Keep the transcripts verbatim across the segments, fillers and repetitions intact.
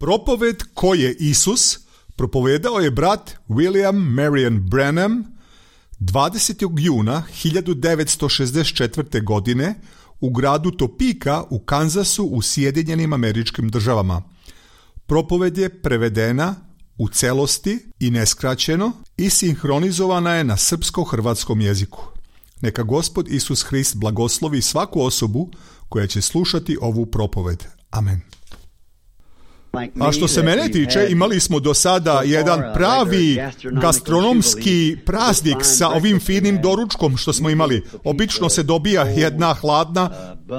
Propoved ko je Isus propovedao je brat William Marion Branham dvadesetog juna hiljadu devetsto šezdeset četvrte. godine u gradu Topeka u Kansasu u Sjedinjenim Američkim Državama. Propoved je prevedena u celosti i neskraćeno i sinhronizovana je na srpsko-hrvatskom jeziku. Neka Gospod Isus Hrist blagoslovi svaku osobu koja će slušati ovu propoved. Amen. A što se mene tiče, imali smo do sada jedan pravi gastronomski praznik sa ovim finim doručkom što smo imali. Obično se dobija jedna hladna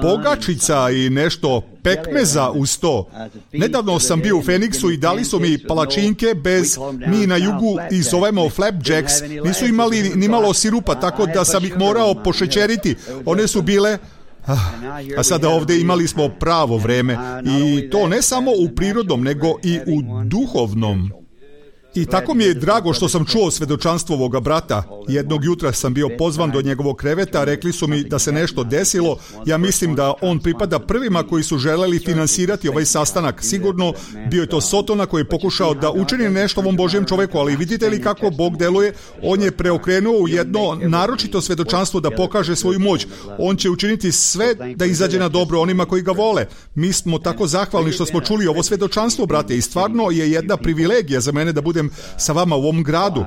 pogačica i nešto pekmeza uz to. Nedavno sam bio u Feniksu i dali su mi palačinke bez, mi na jugu ih zovemo flapjacks, nisu imali ni malo sirupa, tako da sam ih morao pošećeriti. One su bile... A sada ovdje imali smo pravo vreme i to ne samo u prirodnom nego i u duhovnom. I tako mi je drago što sam čuo svedočanstvo ovoga brata. Jednog jutra sam bio pozvan do njegovog kreveta, rekli su mi da se nešto desilo. Ja mislim da on pripada prvima koji su želeli finansirati ovaj sastanak. Sigurno bio je to Sotona koji je pokušao da učini nešto ovom Božjem čoveku, ali vidite li kako Bog deluje? On je preokrenuo u jedno naročito svedočanstvo da pokaže svoju moć. On će učiniti sve da izađe na dobro onima koji ga vole. Mi smo tako zahvalni što smo čuli ovo svedočanstvo, brate, i stvarno je jedna privilegija za mene da budem sa vama u ovom gradu.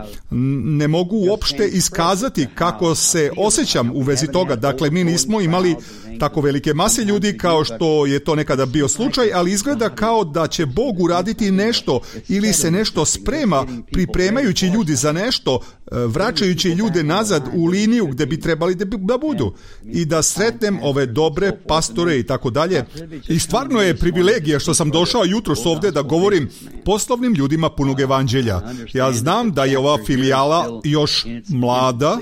Ne mogu uopšte iskazati kako se osjećam u vezi toga. Dakle, mi nismo imali tako velike mase ljudi kao što je to nekada bio slučaj, ali izgleda kao da će Bog uraditi nešto ili se nešto sprema, pripremajući ljudi za nešto, vraćajući ljude nazad u liniju gde bi trebali da budu i da sretnem ove dobre pastore i tako dalje. I stvarno je privilegija što sam došao jutros ovdje da govorim poslovnim ljudima punog evanđelja. Ja znam da je ova filijala još mlada,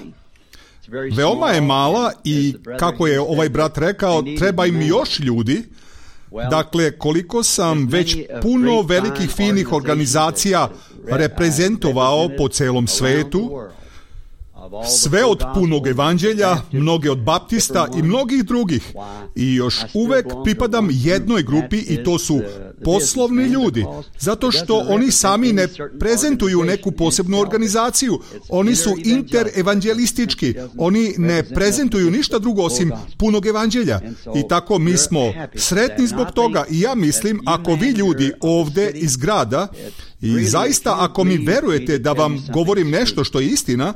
veoma je mala i kako je ovaj brat rekao, treba im još ljudi. Dakle, koliko sam već puno velikih finih organizacija reprezentovao po celom svetu, sve od punog evanđelja, mnoge od baptista i mnogih drugih. I još uvek pripadam jednoj grupi i to su poslovni ljudi. Zato što oni sami ne prezentuju neku posebnu organizaciju. Oni su interevanđelistički. Oni ne prezentuju ništa drugo osim punog evanđelja. I tako mi smo sretni zbog toga. I ja mislim, ako vi ljudi ovde iz grada i zaista ako mi verujete da vam govorim nešto što je istina,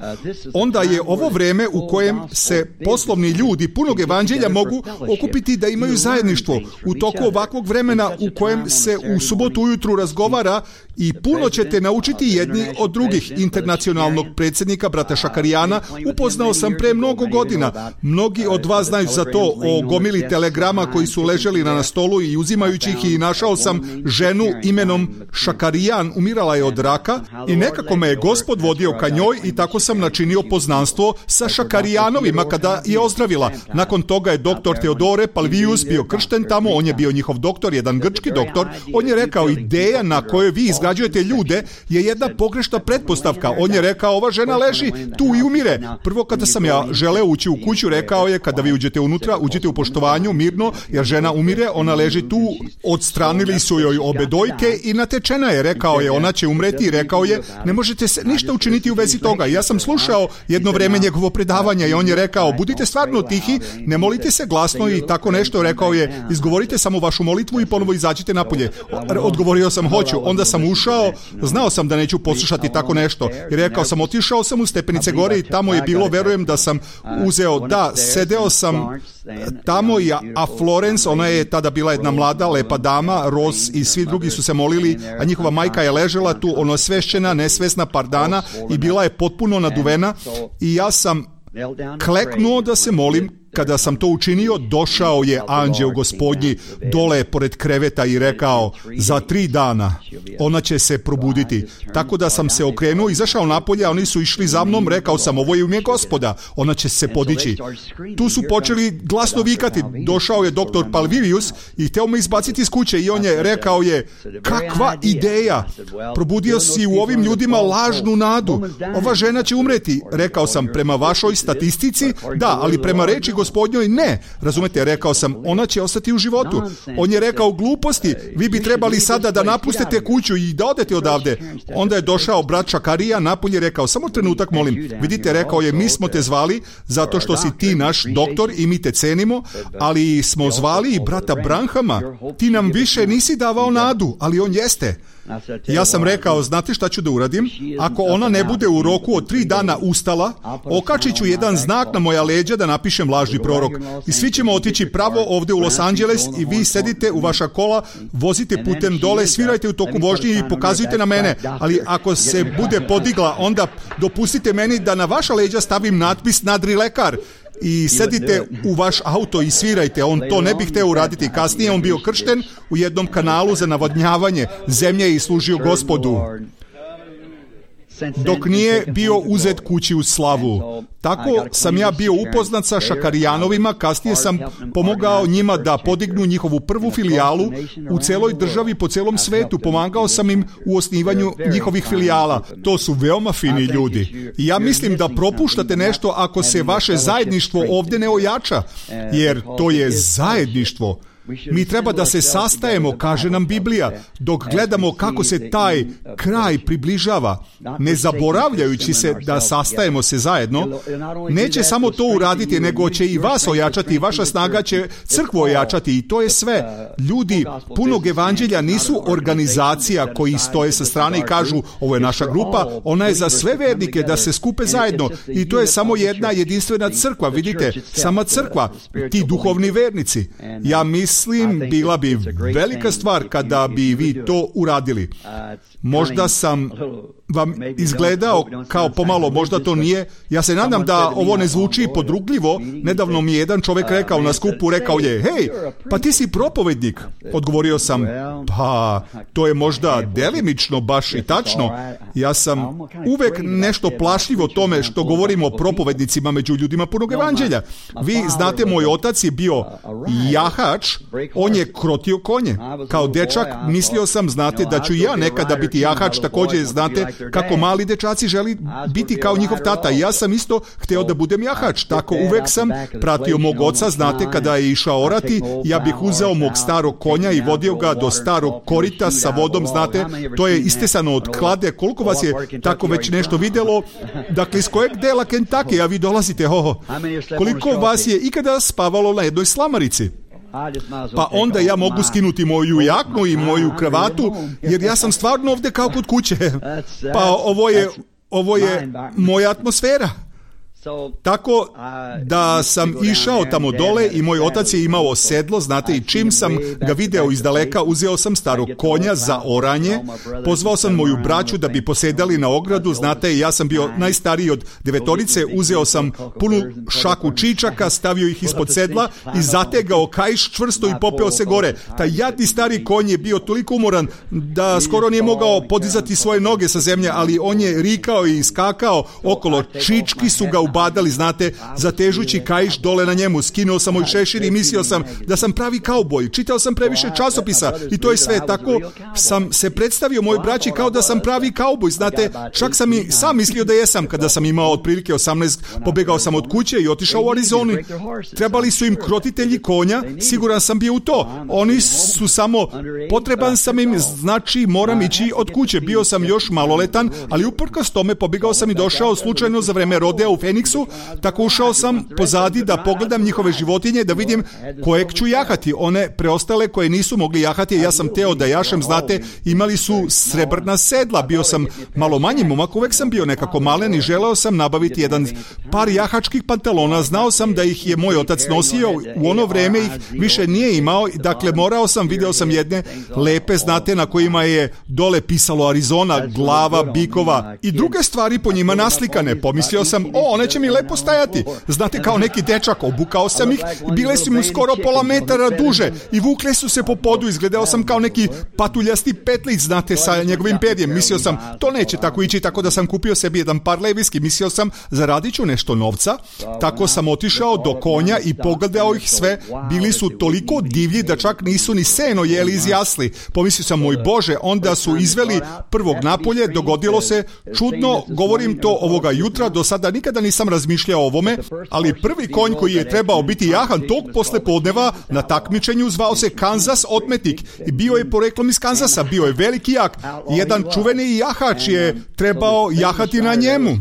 onda je ovo vreme u kojem se poslovni ljudi punog evanđelja mogu okupiti da imaju zajedništvo. U toku ovakvog vremena u kojem se u subotu ujutru razgovara i puno ćete naučiti jedni od drugih. Internacionalnog predsjednika, brata Šakarijana, upoznao sam pre mnogo godina. Mnogi od vas znaju za to, o gomili telegrama koji su leželi na stolu i uzimajući ih, i našao sam ženu imenom Šakarijan, umirala je od raka i nekako me je Gospod vodio ka njoj i tako sam načinio poznanstvo sa Šakarijanovima kada je ozdravila. Nakon toga je doktor Teodore Palvijus bio kršten tamo, on je bio njihov doktor, jedan grčki doktor. On je rekao, ideja na kojoj vi izgrađujete ljude je jedna pogrešna pretpostavka. On je rekao, ova žena leži tu i umire. Prvo kada sam ja želeo ući u kuću, rekao je, kada vi uđete unutra, uđite u poštovanju, mirno, jer žena umire, ona leži tu, odstranili su joj obe dojke i natečena je. Rekao je, ona će umreti, i rekao je, ne možete se ništa učiniti u vezi toga. Ja sam slušao jedno vreme njegovo predavanje i on je rekao, budite stvarno tihi, ne molite se glasno i tako nešto. Rekao je, izgovorite samo vašu molitvu i ponovo izađite napolje. Odgovorio sam, hoću. Onda sam ušao, znao sam da neću poslušati tako nešto i rekao sam, otišao sam u stepenice gore i tamo je bilo, verujem da sam uzeo, da, sedeo sam tamo i a Florence, ona je tada bila jedna mlada, lepa dama, Ross i svi drugi su se molili, a njihova majka je ležela tu, ono svešćena, nesvesna par dana i bila je potpuno naduvena i ja sam kleknuo da se molim. Kada sam to učinio, došao je anđeo Gospodnji dole pored kreveta i rekao, za tri dana ona će se probuditi. Tako da sam se okrenuo, izašao napolje, a oni su išli za mnom, rekao sam, ovo je u ime Gospoda, ona će se podići. Tu su počeli glasno vikati, došao je doktor Palvijus i hteo me izbaciti iz kuće i on je rekao je, kakva ideja, probudio si u ovim ljudima lažnu nadu, ova žena će umreti. Rekao sam, prema vašoj statistici, da, ali prema reči Gospodina gospodnjoj? Ne. Razumete, rekao sam, ona će ostati u životu. On je rekao, gluposti, vi bi trebali sada da napustite kuću i da odete odavde. Onda je došao brat Šakarija napolje, rekao, samo trenutak molim. Vidite, rekao je, mi smo te zvali zato što si ti naš doktor i mi te cenimo, ali smo zvali i brata Branhama. Ti nam više nisi davao nadu, ali on jeste. Ja sam rekao, znate šta ću da uradim? Ako ona ne bude u roku od tri dana ustala, okačit ću jedan znak na moja leđa da napišem lažni prorok. I svi ćemo otići pravo ovde u Los Angeles i vi sedite u vaša kola, vozite putem dole, svirajte u toku vožnje i pokazujte na mene. Ali ako se bude podigla, onda dopustite meni da na vaša leđa stavim natpis nadrilekar. I sedite u vaš auto i svirajte. On to ne bi hteo uraditi. Kasnije on bio kršten u jednom kanalu za navodnjavanje zemlje i služio Gospodu, dok nije bio uzet kući u slavu. Tako sam ja bio upoznat sa Šakarijanovima, kasnije sam pomogao njima da podignu njihovu prvu filijalu u celoj državi po celom svetu. Pomagao sam im u osnivanju njihovih filijala. To su veoma fini ljudi. I ja mislim da propuštate nešto ako se vaše zajedništvo ovde ne ojača, jer to je zajedništvo. Mi treba da se sastajemo, kaže nam Biblija, dok gledamo kako se taj kraj približava, ne zaboravljajući se da sastajemo se zajedno. Neće samo to uraditi, nego će i vas ojačati, i vaša snaga će crkvu ojačati, i to je sve. Ljudi punog evanđelja nisu organizacija koji stoje sa strane i kažu, ovo je naša grupa, ona je za sve vernike da se skupe zajedno, i to je samo jedna jedinstvena crkva, vidite, sama crkva, ti duhovni vernici. Ja mislim Mislim, bila bi velika stvar kada bi vi to uradili. Možda sam vam izgledao kao pomalo, možda to nije. Ja se nadam da ovo ne zvuči podrugljivo. Nedavno mi je jedan čovjek rekao na skupu, rekao je, hej, pa ti si propovednik. Odgovorio sam, pa to je možda delimično baš i tačno. Ja sam uvek nešto plašljivo tome što govorimo o propovednicima među ljudima punog evanđelja. Vi znate, moj otac je bio jahač, on je krotio konje. Kao dečak mislio sam, znate, da ću i ja nekada biti jahač, također znate kako mali dečaci želi biti kao njihov tata. I ja sam isto hteo da budem jahač, tako uvek sam pratio mog oca, znate, kada je išao orati, ja bih uzeo mog starog konja i vodio ga do starog korita sa vodom, znate, to je istesano od klade. Koliko vas je tako već nešto videlo? Dakle, iz kojeg dela Kentucky, a vi dolazite, oho, koliko vas je ikada spavalo na jednoj slamarici? Pa onda ja mogu skinuti moju jaknu i moju kravatu, jer ja sam stvarno ovde kao kod kuće. Pa ovo je, ovo je moja atmosfera. Tako da sam išao tamo dole i moj otac je imao sedlo, znate, i čim sam ga video iz daleka, uzeo sam starog konja za oranje, pozvao sam moju braću da bi posedali na ogradu, znate, i ja sam bio najstariji od devetorice, uzeo sam punu šaku čičaka, stavio ih ispod sedla i zategao kaiš čvrsto i popeo se gore. Taj jadni stari konj je bio toliko umoran da skoro nije mogao podizati svoje noge sa zemlje, ali on je rikao i skakao okolo, čički su ga ubadali, znate, zatežući kaiš dole na njemu. Skinuo sam moj šešir i mislio sam da sam pravi kauboj. Čitao sam previše časopisa i to je sve. Tako sam se predstavio moj braći kao da sam pravi kauboj, znate, čak sam i sam mislio da jesam. Kada sam imao otprilike osamnaest, pobegao sam od kuće i otišao u Arizonu. Trebali su im krotitelji konja, siguran sam bio u to. Oni su samo, potreban sam im, znači moram ići od kuće. Bio sam još maloletan, ali uprkos tome pobegao sam i došao slučajno za vreme rodea u Feniksu, tako ušao sam pozadi da pogledam njihove životinje, da vidim kojeg ću jahati. One preostale koje nisu mogli jahati, ja sam teo da jašem, znate, imali su srebrna sedla. Bio sam malo manji momak, uvek sam bio nekako malen i želeo sam nabaviti jedan par jahačkih pantalona. Znao sam da ih je moj otac nosio, u ono vreme ih više nije imao, dakle morao sam, video sam jedne lepe, znate, na kojima je dole pisalo Arizona, glava bikova i druge stvari po njima naslikane. Pomislio sam, o, one će mi lepo stajati. Znate, kao neki dečak, obukao sam ih, bile su mu skoro pola metara duže i vukle su se po podu, izgledao sam kao neki patuljasti petlić, znate, sa njegovim perjem. Mislio sam, to neće tako ići, tako da sam kupio sebi jedan par leviski. Mislio sam, zaradit ću nešto novca, tako sam otišao do konja i pogledao ih sve. Bili su toliko divlji da čak nisu ni seno jeli iz jasli. Pomislio sam, moj Bože, onda su izveli prvog napolje, dogodilo se čudno, govorim to ovoga jutra, do sada nikada nisam nisam razmišljao o ovome, ali prvi konj koji je trebao biti jahan tog poslepodneva na takmičenju zvao se Kansas Otmetnik i bio je poreklom iz Kansasa, bio je veliki jak. Jedan čuveni jahač je trebao jahati na njemu.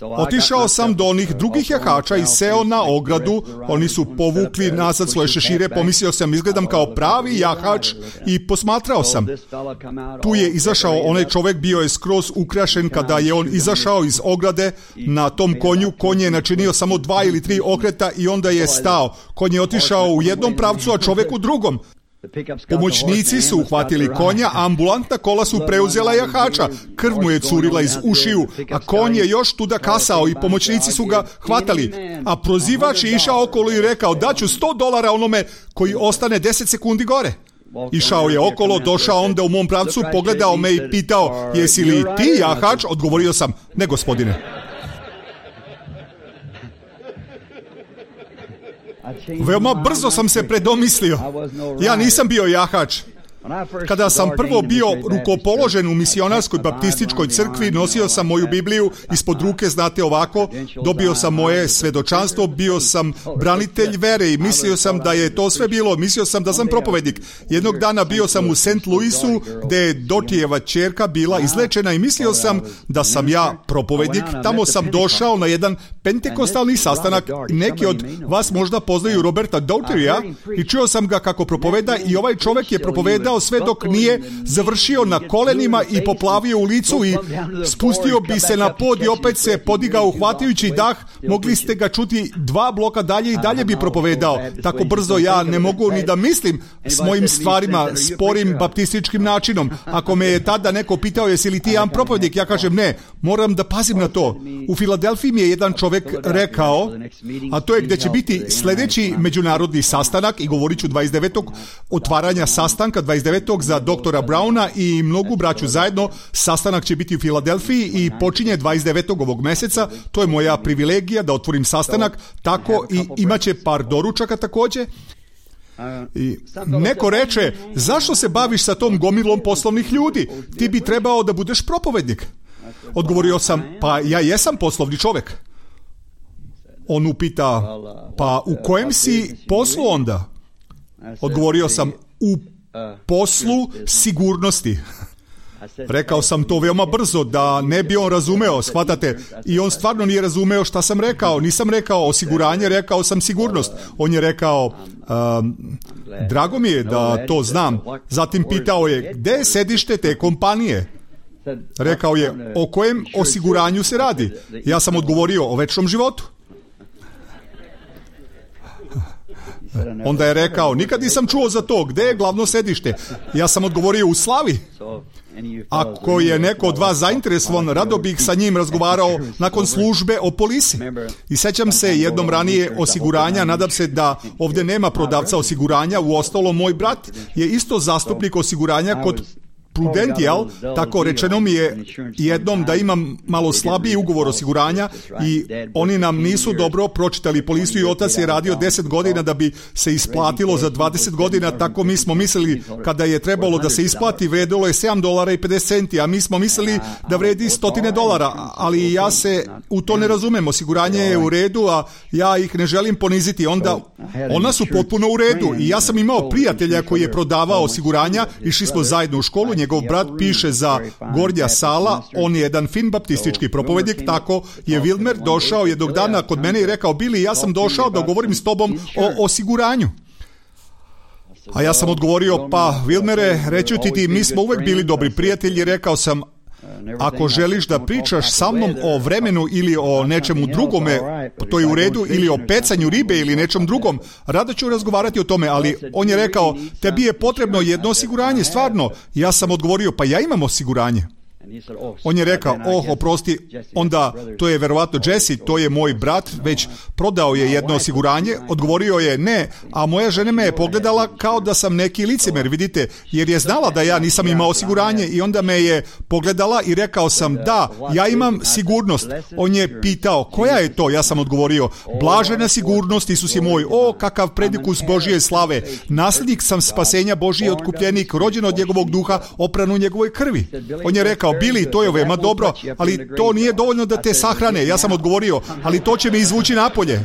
Otišao sam do onih drugih jahača i seo na ogradu, oni su povukli nazad svoje šešire, pomislio sam izgledam kao pravi jahač i posmatrao sam. Tu je izašao onaj čovjek, bio je skroz ukrašen kada je on izašao iz ograde na tom konju, konj je načinio samo dva ili tri okreta i onda je stao. Konj je otišao u jednom pravcu, a čovjek u drugom. Pomoćnici su uhvatili konja, a ambulantna kola su preuzela jahača. Krv mu je curila iz ušiju, a konj je još tuda kasao i pomoćnici su ga hvatali. A prozivač je išao okolo i rekao daću sto dolara onome koji ostane deset sekundi gore. Išao je okolo, došao onda u mom pravcu, pogledao me i pitao jesi li ti jahač? Odgovorio sam ne gospodine. Veoma brzo sam se predomislio. Ja nisam bio jahač. Kada sam prvo bio rukopoložen u misionarskoj baptističkoj crkvi, nosio sam moju Bibliju ispod ruke, znate ovako, dobio sam moje svedočanstvo, bio sam branitelj vere i mislio sam da je to sve bilo, mislio sam da sam propovednik. Jednog dana bio sam u Saint Louisu gdje je Dotijeva ćerka bila izlečena i mislio sam da sam ja propovednik. Tamo sam došao na jedan pentekostalni sastanak, neki od vas možda poznaju Roberta Douterija i čuo sam ga kako propoveda i ovaj čovjek je propovedao sve dok nije završio na kolenima i poplavio u licu i spustio bi se na pod i opet se podigao uhvatajući dah. Mogli ste ga čuti dva bloka dalje i dalje bi propovedao. Tako brzo ja ne mogu ni da mislim s mojim stvarima, sporim baptističkim načinom. Ako me je tada neko pitao jesi li ti jedan propovednik, ja kažem ne, moram da pazim na to. U Filadelfiji mi je jedan čovjek rekao, a to je gdje će biti sljedeći međunarodni sastanak i govorit ću dvadeset devetog otvaranja sastanka dvadeset devetog za doktora Browna i mnogu braću zajedno. Sastanak će biti u Filadelfiji i počinje dvadeset devetog ovog mjeseca. To je moja privilegija da otvorim sastanak, tako i imat će par doručaka također. I neko reče, zašto se baviš sa tom gomilom poslovnih ljudi? Ti bi trebao da budeš propovednik. Odgovorio sam, pa ja jesam poslovni čovjek. On upita, pa u kojem si poslu onda? Odgovorio sam, u poslu sigurnosti. Rekao sam to veoma brzo da ne bi on razumeo, shvatate, i on stvarno nije razumeo šta sam rekao. Nisam rekao osiguranje, rekao sam sigurnost. On je rekao, um, drago mi je da to znam. Zatim pitao je, gdje je sedište te kompanije? Rekao je, o kojem osiguranju se radi? Ja sam odgovorio, o večnom životu. Onda je rekao, nikad nisam čuo za to, gdje je glavno sedište? Ja sam odgovorio, u Slavi. Ako je neko od vas zainteresovan, rado bih sa njim razgovarao nakon službe o polisi. I sećam se jednom ranije osiguranja, nadam se da ovdje nema prodavca osiguranja, uostalom moj brat je isto zastupnik osiguranja kod Prudential, tako rečeno mi je jednom da imam malo slabiji ugovor osiguranja i oni nam nisu dobro pročitali polisu i otac je radio deset godina da bi se isplatilo za dvadeset godina, tako mi smo mislili kada je trebalo da se isplati vredilo je sedam dolara i pedeset centi, a mi smo mislili da vredi stotine dolara, ali ja se u to ne razumem, osiguranje je u redu, a ja ih ne želim poniziti, onda ona su potpuno u redu i ja sam imao prijatelja koji je prodavao osiguranja, išli smo zajedno u školu, njegov brat piše za Gornja Sala, on je jedan fin baptistički propovednik, tako je Wilmer došao jednog dana kod mene i rekao, Billy, ja sam došao da govorim s tobom o osiguranju. A ja sam odgovorio, pa Wilmere, reću ti ti, mi smo uvek bili dobri prijatelji, rekao sam, ako želiš da pričaš sa mnom o vremenu ili o nečemu drugome, to je u redu, ili o pecanju ribe ili nečem drugom, rado ću razgovarati o tome, ali on je rekao, tebi je potrebno jedno osiguranje, stvarno. Ja sam odgovorio, pa ja imam osiguranje. On je rekao, oh, oprosti, onda to je verovatno Jesse, to je moj brat, već prodao je jedno osiguranje. Odgovorio je ne, a moja žena me je pogledala kao da sam neki licemer, vidite, jer je znala da ja nisam imao osiguranje i onda me je pogledala i rekao sam, da, ja imam sigurnost. On je pitao, koja je to? Ja sam odgovorio, blažena sigurnost, Isus je moj, o, kakav predikus Božije slave, nasljednik sam spasenja, Božji otkupljenik, rođen od njegovog duha, opran u njegovoj krvi. On je rekao, rekao, Bili, to je veoma dobro, ali to nije dovoljno da te sahrane. Ja sam odgovorio, ali to će me izvući napolje.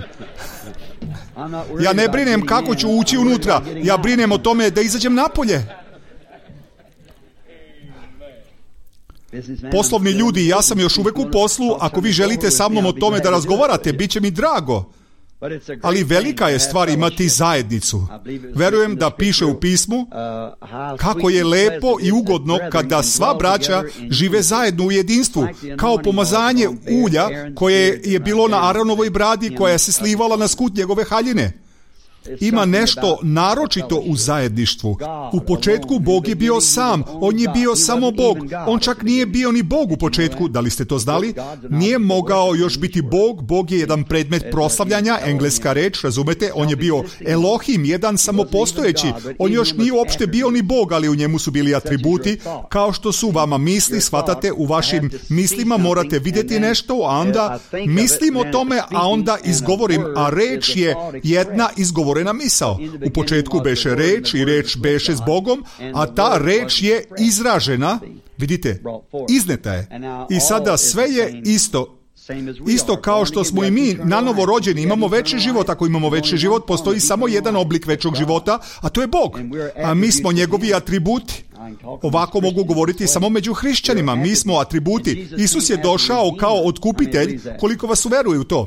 Ja ne brinem kako ću ući unutra, ja brinem o tome da izađem napolje. Poslovni ljudi, ja sam još uvek u poslu, ako vi želite sa mnom o tome da razgovarate, bit će mi drago. Ali velika je stvar imati zajednicu. Verujem da piše u pismu kako je lepo i ugodno kada sva braća žive zajedno u jedinstvu, kao pomazanje ulja koje je bilo na Aronovoj bradi koja se slivala na skut njegove haljine. Ima nešto naročito u zajedništvu. U početku Bog je bio sam, on je bio samo Bog. On čak nije bio ni Bog u početku, da li ste to znali? Nije mogao još biti Bog, Bog je jedan predmet proslavljanja, engleska reč, razumete? On je bio Elohim, jedan samopostojeći. On još nije uopšte bio ni Bog, ali u njemu su bili atributi, kao što su vama misli, shvatate, u vašim mislima morate vidjeti nešto, a onda mislim o tome, a onda izgovorim, a reč je jedna izgovorena na misao. U početku beše reč i reč beše s Bogom, a ta reč je izražena, vidite, izneta je. I sada sve je isto. Isto kao što smo i mi nanovo rođeni, imamo veći život. Ako imamo veći život, postoji samo jedan oblik većog života, a to je Bog. A mi smo njegovi atributi. Ovako mogu govoriti samo među hrišćanima. Mi smo atributi. Isus je došao kao otkupitelj, koliko vas uveruje u to.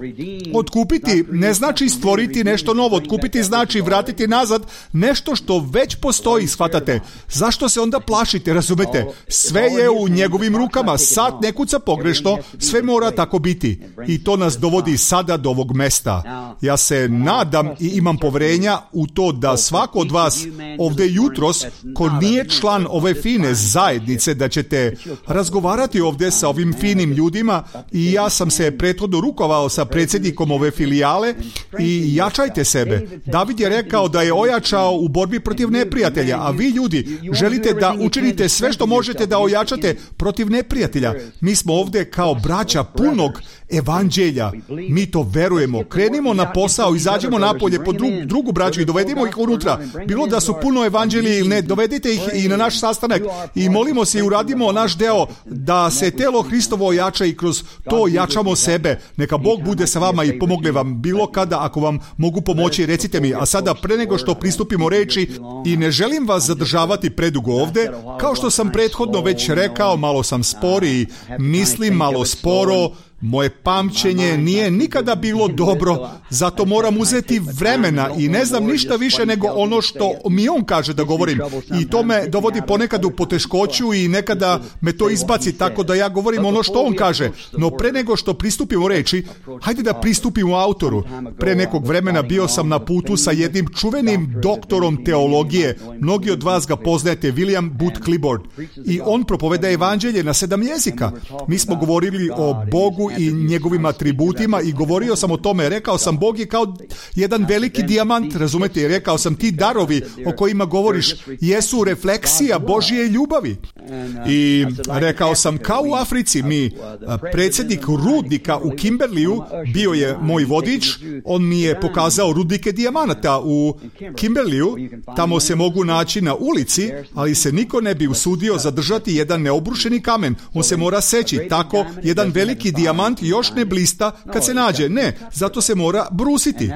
Otkupiti ne znači stvoriti nešto novo. Otkupiti znači vratiti nazad nešto što već postoji, shvatate. Zašto se onda plašite, razumete? Sve je u njegovim rukama. Sat ne kuca pogrešno, sve mora tako biti. I to nas dovodi sada do ovog mesta. Ja se nadam i imam poverenja u to da svako od vas ovdje jutros, ko nije član ove fine zajednice, da ćete razgovarati ovdje sa ovim finim ljudima. I ja sam se prethodno rukovao sa predsjednikom ove filijale i jačajte sebe. David je rekao da je ojačao u borbi protiv neprijatelja, a vi ljudi želite da učinite sve što možete da ojačate protiv neprijatelja. Mi smo ovdje kao braća punog evanđelja. Mi to verujemo. Krenimo na posao, izađemo napolje po dru, drugu braću i dovedimo ih unutra. Bilo da su puno evanđelje ili ne, dovedite ih i na naš sastanak i molimo se i uradimo naš deo da se telo Hristovo ojača i kroz to jačamo sebe. Neka Bog bude sa vama i pomogne vam bilo kada. Ako vam mogu pomoći, recite mi. A sada, pre nego što pristupimo reči, i ne želim vas zadržavati predugo ovdje, kao što sam prethodno već rekao, malo sam spori, mislim malo sporo. Moje pamćenje nije nikada bilo dobro, zato moram uzeti vremena i ne znam ništa više nego ono što mi on kaže da govorim. I to me dovodi ponekad u poteškoću i nekada me to izbaci tako da ja govorim ono što on kaže. No pre nego što pristupimo reči, hajde da pristupimo autoru. Pre nekog vremena bio sam na putu sa jednim čuvenim doktorom teologije. Mnogi od vas ga poznajete, William Booth Clifford. I on propoveda evanđelje na sedam jezika. Mi smo govorili o Bogu i njegovim atributima i govorio sam o tome. Rekao sam, Bog je kao jedan veliki dijamant, razumete? Rekao sam, ti darovi o kojima govoriš jesu refleksija Božje ljubavi. I rekao sam, kao u Africi, mi, predsjednik rudnika u Kimberliju, bio je moj vodič, on mi je pokazao rudnike dijamanata u Kimberliju. Tamo se mogu naći na ulici, ali se niko ne bi usudio zadržati jedan neobrušeni kamen. On se mora seći. Tako, jedan veliki dijamant još ne blista kad se nađe. Ne, zato se mora brusiti.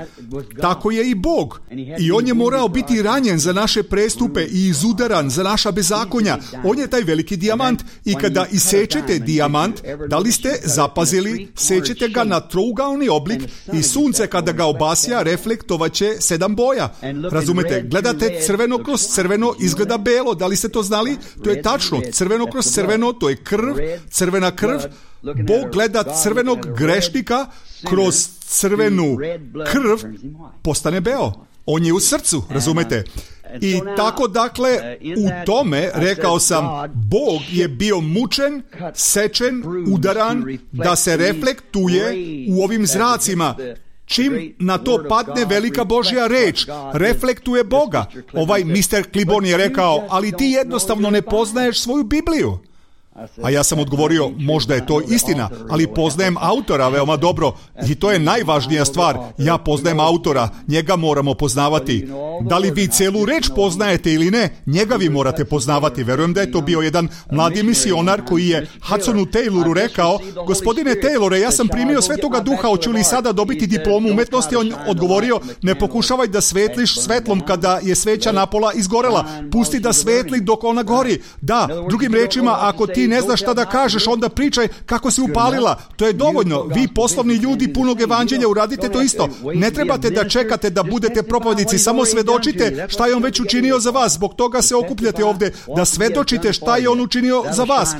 Tako je i Bog. I on je morao biti ranjen za naše prestupe i izudaran za naša bezakonja. On je taj veliki dijamant. I kada isečete dijamant, da li ste zapazili, sečete ga na trougaoni oblik i sunce kada ga obasja reflektovaće sedam boja. Razumete? Gledate crveno kroz crveno, izgleda belo. Da li ste to znali? To je tačno. Crveno kroz crveno, to je krv, crvena krv. Bog gleda crvenog grešnika kroz crvenu krv, postane beo. On je u srcu, razumete? I tako, dakle, u tome, rekao sam, Bog je bio mučen, sečen, udaran, da se reflektuje u ovim zracima. Čim na to padne velika Božja reč, reflektuje Boga. Ovaj mister Klibon je rekao, ali ti jednostavno ne poznaješ svoju Bibliju. A ja sam odgovorio, možda je to istina, ali poznajem autora veoma dobro i to je najvažnija stvar. Ja poznajem autora, njega moramo poznavati. Da li vi celu reč poznajete ili ne, njega vi morate poznavati. Verujem da je to bio jedan mladi misionar koji je Hudsonu Tayloru rekao, gospodine Taylore, ja sam primio Svetoga Duha, hoću li sada dobiti diplomu umetnosti? On odgovorio, ne pokušavaj da svetliš svetlom kada je sveća napola izgorela. Pusti da svetli dok ona gori. Da, drugim rečima, ako ti ne znaš šta da kažeš, onda pričaj kako si upalila. To je dovoljno. Vi poslovni ljudi punog evanđelja uradite to isto. Ne trebate da čekate da budete propovjednici, samo svedočite šta je on već učinio za vas. Zbog toga se okupljate ovde, da svedočite šta je on učinio za vas.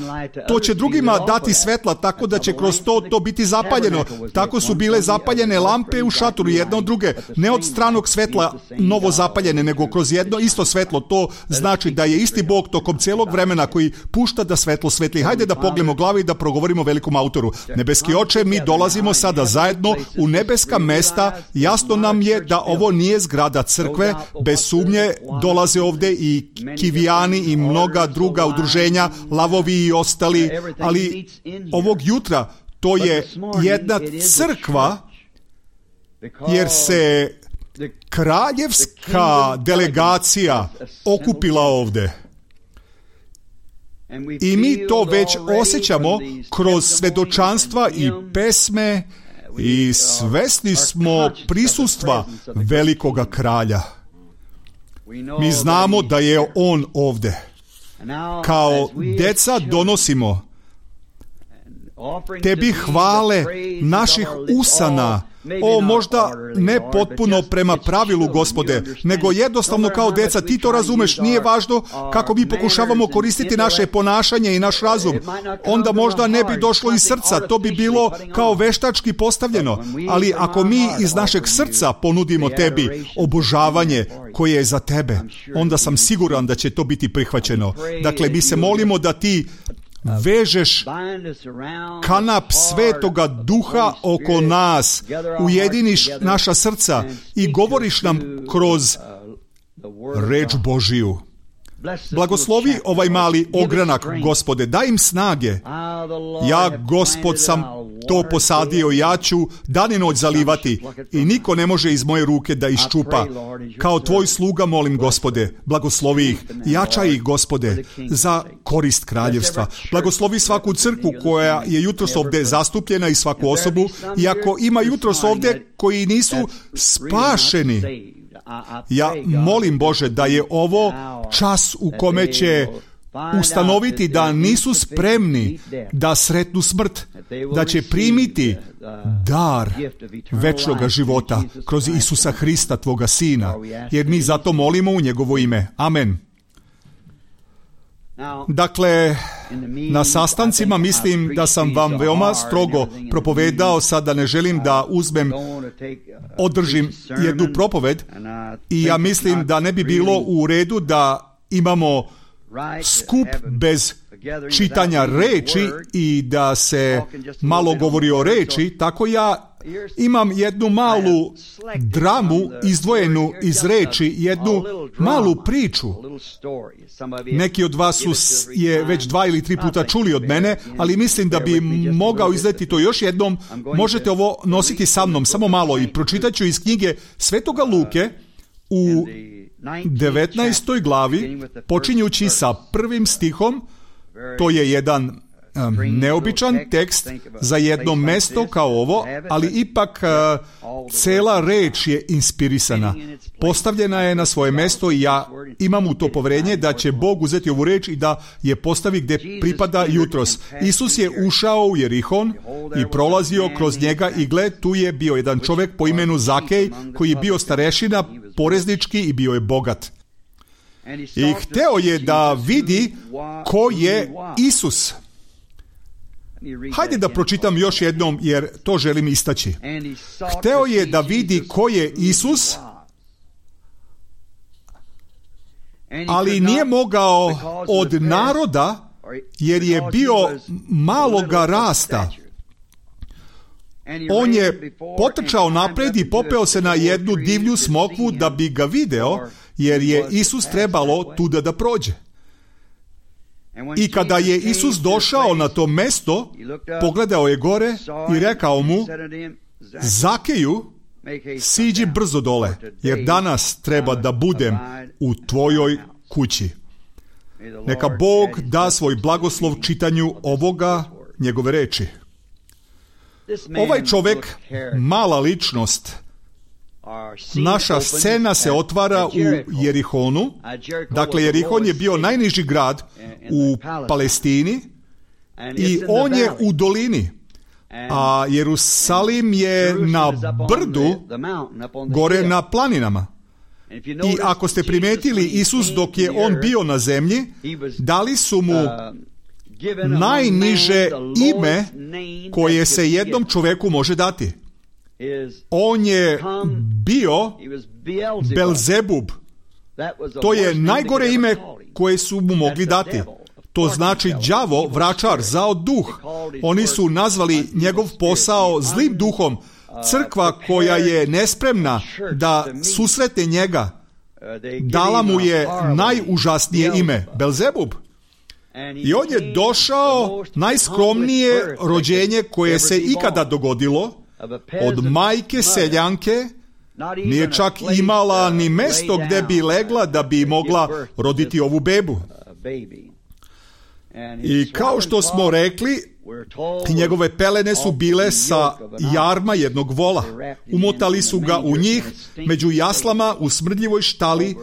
To će drugima dati svetla, tako da će kroz to to biti zapaljeno. Tako su bile zapaljene lampe u šatoru jedna od druge. Ne od stranog svetla novo zapaljene, nego kroz jedno isto svetlo. To znači da je isti Bog tokom celog vremena koji pušta da svetlo svetli. Hajde da pognemo glavi i da progovorimo velikom autoru. Nebeski Oče, mi dolazimo sada zajedno u nebeska mesta. Jasno nam je da ovo nije zgrada crkve. Bez sumnje dolaze ovde i Kivijani i mnoga druga udruženja, lavovi i ostali, ali ovog jutra to je jedna crkva, jer se kraljevska delegacija okupila ovde. I mi to već osjećamo kroz svedočanstva i pesme i svesni smo prisustva velikoga kralja. Mi znamo da je on ovde. Kao deca donosimo tebi hvale naših usana, o možda ne potpuno prema pravilu, Gospode, nego jednostavno kao deca. Ti to razumeš, nije važno kako mi pokušavamo koristiti naše ponašanje i naš razum. Onda možda ne bi došlo iz srca, to bi bilo kao veštački postavljeno. Ali ako mi iz našeg srca ponudimo tebi obožavanje koje je za tebe, onda sam siguran da će to biti prihvaćeno. Dakle, mi se molimo da ti vežeš kanap Svetoga Duha oko nas, ujediniš naša srca i govoriš nam kroz reč Božiju. Blagoslovi ovaj mali ogranak, Gospode, daj im snage. Ja, Gospod, sam to posadio, ja ću dan i noć zalivati i niko ne može iz moje ruke da iščupa. Kao tvoj sluga molim, Gospode, blagoslovi ih, jačaj ih, Gospode, za korist kraljevstva. Blagoslovi svaku crkvu koja je jutros ovde zastupljena i svaku osobu, i ako ima jutros ovde koji nisu spašeni, ja molim, Bože, da je ovo čas u kome će ustanoviti da nisu spremni da sretnu smrt, da će primiti dar večnoga života kroz Isusa Hrista, Tvoga Sina, jer mi zato molimo u njegovo ime. Amen. Dakle, na sastancima mislim da sam vam veoma strogo propovedao, sada ne želim da uzmem, održim jednu propoved i ja mislim da ne bi bilo u redu da imamo skup bez čitanja reči i da se malo govori o reči, tako ja imam jednu malu dramu izdvojenu iz reči, jednu malu priču. Neki od vas su je već dva ili tri puta čuli od mene, ali mislim da bi mogao izleti to još jednom. Možete ovo nositi sa mnom, samo malo, i pročitat ću iz knjige Svetoga Luke u devetnaestoj glavi, počinjući sa prvim stihom. To je jedan um, neobičan tekst za jedno mesto kao ovo, ali ipak uh, cela reč je inspirisana. Postavljena je na svoje mesto i ja imam u to poverenje da će Bog uzeti ovu reč i da je postavi gde pripada jutros. Isus je ušao u Jerihon i prolazio kroz njega i gle, tu je bio jedan čovek po imenu Zakej koji je bio starešina, poreznički i bio je bogat. I hteo je da vidi ko je Isus. Hajde da pročitam još jednom, jer to želim istaći. Hteo je da vidi ko je Isus, ali nije mogao od naroda, jer je bio maloga rasta. On je potrčao napred i popeo se na jednu divlju smokvu da bi ga video, jer je Isus trebalo tuda da prođe. I kada je Isus došao na to mesto, pogledao je gore i rekao mu: Zakeju, siđi brzo dole, jer danas treba da budem u tvojoj kući. Neka Bog da svoj blagoslov čitanju ovoga njegove reči. Ovaj čovjek, mala ličnost, naša scena se otvara u Jerihonu. Dakle, Jerihon je bio najniži grad u Palestini i on je u dolini, a Jerusalim je na brdu, gore na planinama. I ako ste primetili, Isus dok je on bio na zemlji, dali su mu najniže ime koje se jednom čoveku može dati. On je bio Belzebub. To je najgore ime koje su mu mogli dati. To znači đavo, vračar, zao duh. Oni su nazvali njegov posao zlim duhom. Crkva koja je nespremna da susretne njega, dala mu je najužasnije ime, Belzebub. I on je došao najskromnije rođenje koje se ikada dogodilo, od majke seljanke. Nije čak imala ni mesto gde bi legla da bi mogla roditi ovu bebu. I kao što smo rekli, njegove pelene su bile sa jarma jednog vola. Umotali su ga u njih među jaslama u smrdljivoj štali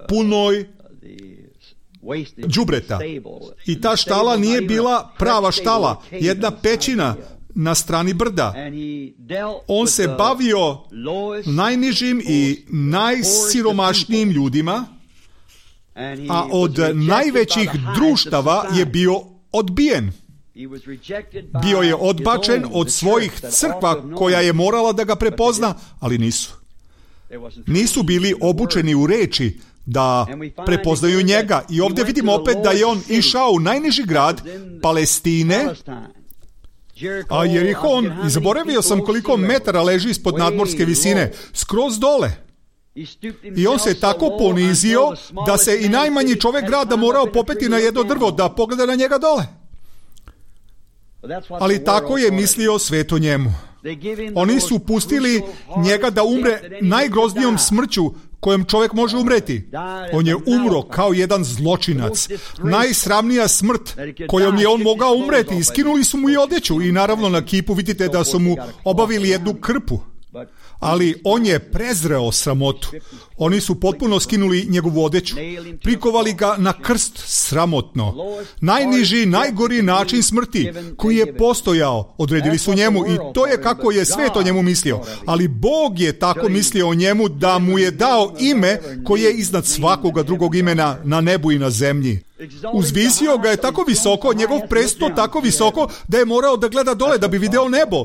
punoj đubreta. I ta štala nije bila prava štala, jedna pećina na strani brda. On se bavio najnižim i najsiromašnijim ljudima, a od najvećih društava je bio odbijen. Bio je odbačen od svojih crkva koja je morala da ga prepozna, ali nisu. Nisu bili obučeni u reči da prepoznaju njega. I ovdje vidimo opet da je on išao u najniži grad Palestine, a Jerihon, i zaboravio sam koliko metara leži ispod nadmorske visine, skroz dole. I on se tako ponizio da se i najmanji čovjek grada morao popeti na jedno drvo da pogleda na njega dole. Ali tako je mislio svet o njemu. Oni su pustili njega da umre najgroznijom smrću kojom čovjek može umreti. On je umro kao jedan zločinac. Najsramnija smrt kojom je on mogao umreti. Skinuli su mu i odjeću i naravno na kipu vidite da su mu obavili jednu krpu. Ali on je prezreo sramotu. Oni su potpuno skinuli njegovu odjeću. Prikovali ga na krst sramotno. Najniži, najgori način smrti koji je postojao, odredili su njemu i to je kako je svet o njemu mislio. Ali Bog je tako mislio o njemu da mu je dao ime koje je iznad svakoga drugog imena na nebu i na zemlji. Uzvisio ga je tako visoko, njegov presto tako visoko da je morao da gleda dole da bi video nebo.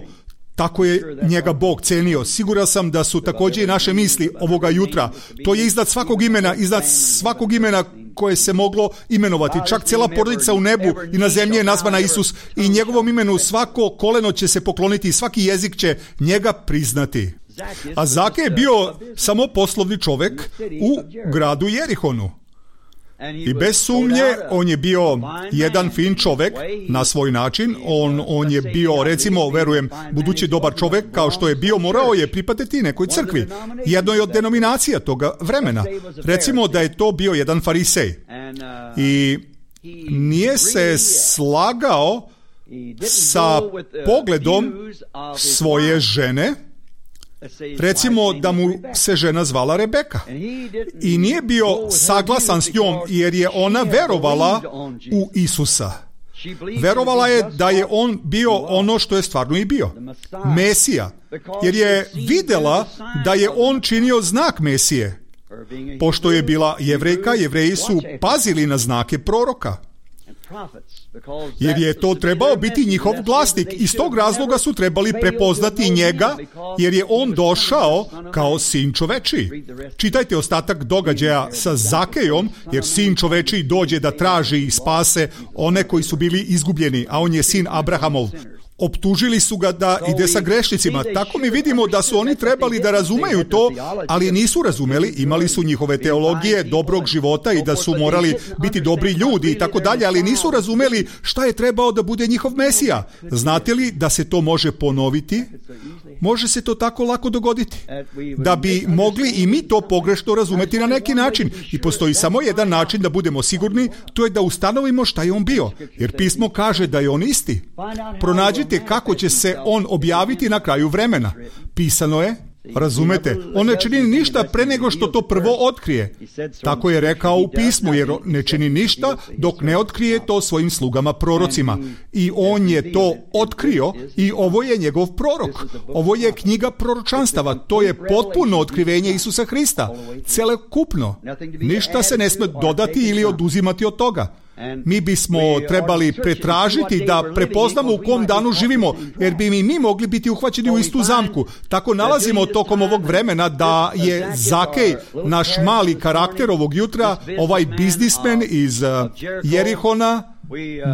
Tako je njega Bog cenio. Siguran sam da su također i naše misli ovoga jutra. To je iznad svakog imena, iznad svakog imena koje se moglo imenovati. Čak cijela porodica u nebu i na zemlji je nazvana Isus i njegovom imenu svako koleno će se pokloniti i svaki jezik će njega priznati. A Zake je bio samo poslovni čovjek u gradu Jerihonu. I bez sumnje, on je bio jedan fin čovjek na svoj način. On, on je bio, recimo, verujem, budući dobar čovjek, kao što je bio, morao je pripadati nekoj crkvi. Jednoj od denominacija toga vremena. Recimo da je to bio jedan farisej. I nije se slagao sa pogledom svoje žene. Recimo da mu se žena zvala Rebeka i nije bio saglasan s njom jer je ona verovala u Isusa. Verovala je da je on bio ono što je stvarno i bio, Mesija, jer je vidjela da je on činio znak Mesije. Pošto je bila Jevrejka, Jevreji su pazili na znake proroka, jer je to trebao biti njihov glasnik. Iz tog razloga su trebali prepoznati njega, jer je on došao kao sin čovečiji. Čitajte ostatak događaja sa Zakejom, jer sin čovečiji dođe da traži i spase one koji su bili izgubljeni, a on je sin Abrahamov. Optužili su ga da ide sa grešnicima. Tako mi vidimo da su oni trebali da razumeju to, ali nisu razumeli. Imali su njihove teologije dobrog života i da su morali biti dobri ljudi i tako dalje, ali nisu razumeli šta je trebao da bude njihov Mesija. Znate li da se to može ponoviti? Može se to tako lako dogoditi. Da bi mogli i mi to pogrešno razumeti na neki način. I postoji samo jedan način da budemo sigurni, to je da ustanovimo šta je on bio. Jer pismo kaže da je on isti. Pronađite kako će se on objaviti na kraju vremena. Pisano je, razumete, on ne čini ništa pre nego što to prvo otkrije. Tako je rekao u pismu, jer ne čini ništa dok ne otkrije to svojim slugama prorocima. I on je to otkrio i ovo je njegov prorok. Ovo je knjiga proročanstava. To je potpuno otkrivenje Isusa Hrista. Celokupno. Ništa se ne sme dodati ili oduzimati od toga. Mi bismo trebali pretražiti da prepoznamo u kom danu živimo, jer bi mi, mi mogli biti uhvaćeni u istu zamku. Tako nalazimo tokom ovog vremena da je Zakej, naš mali karakter ovog jutra, ovaj biznismen iz Jerihona,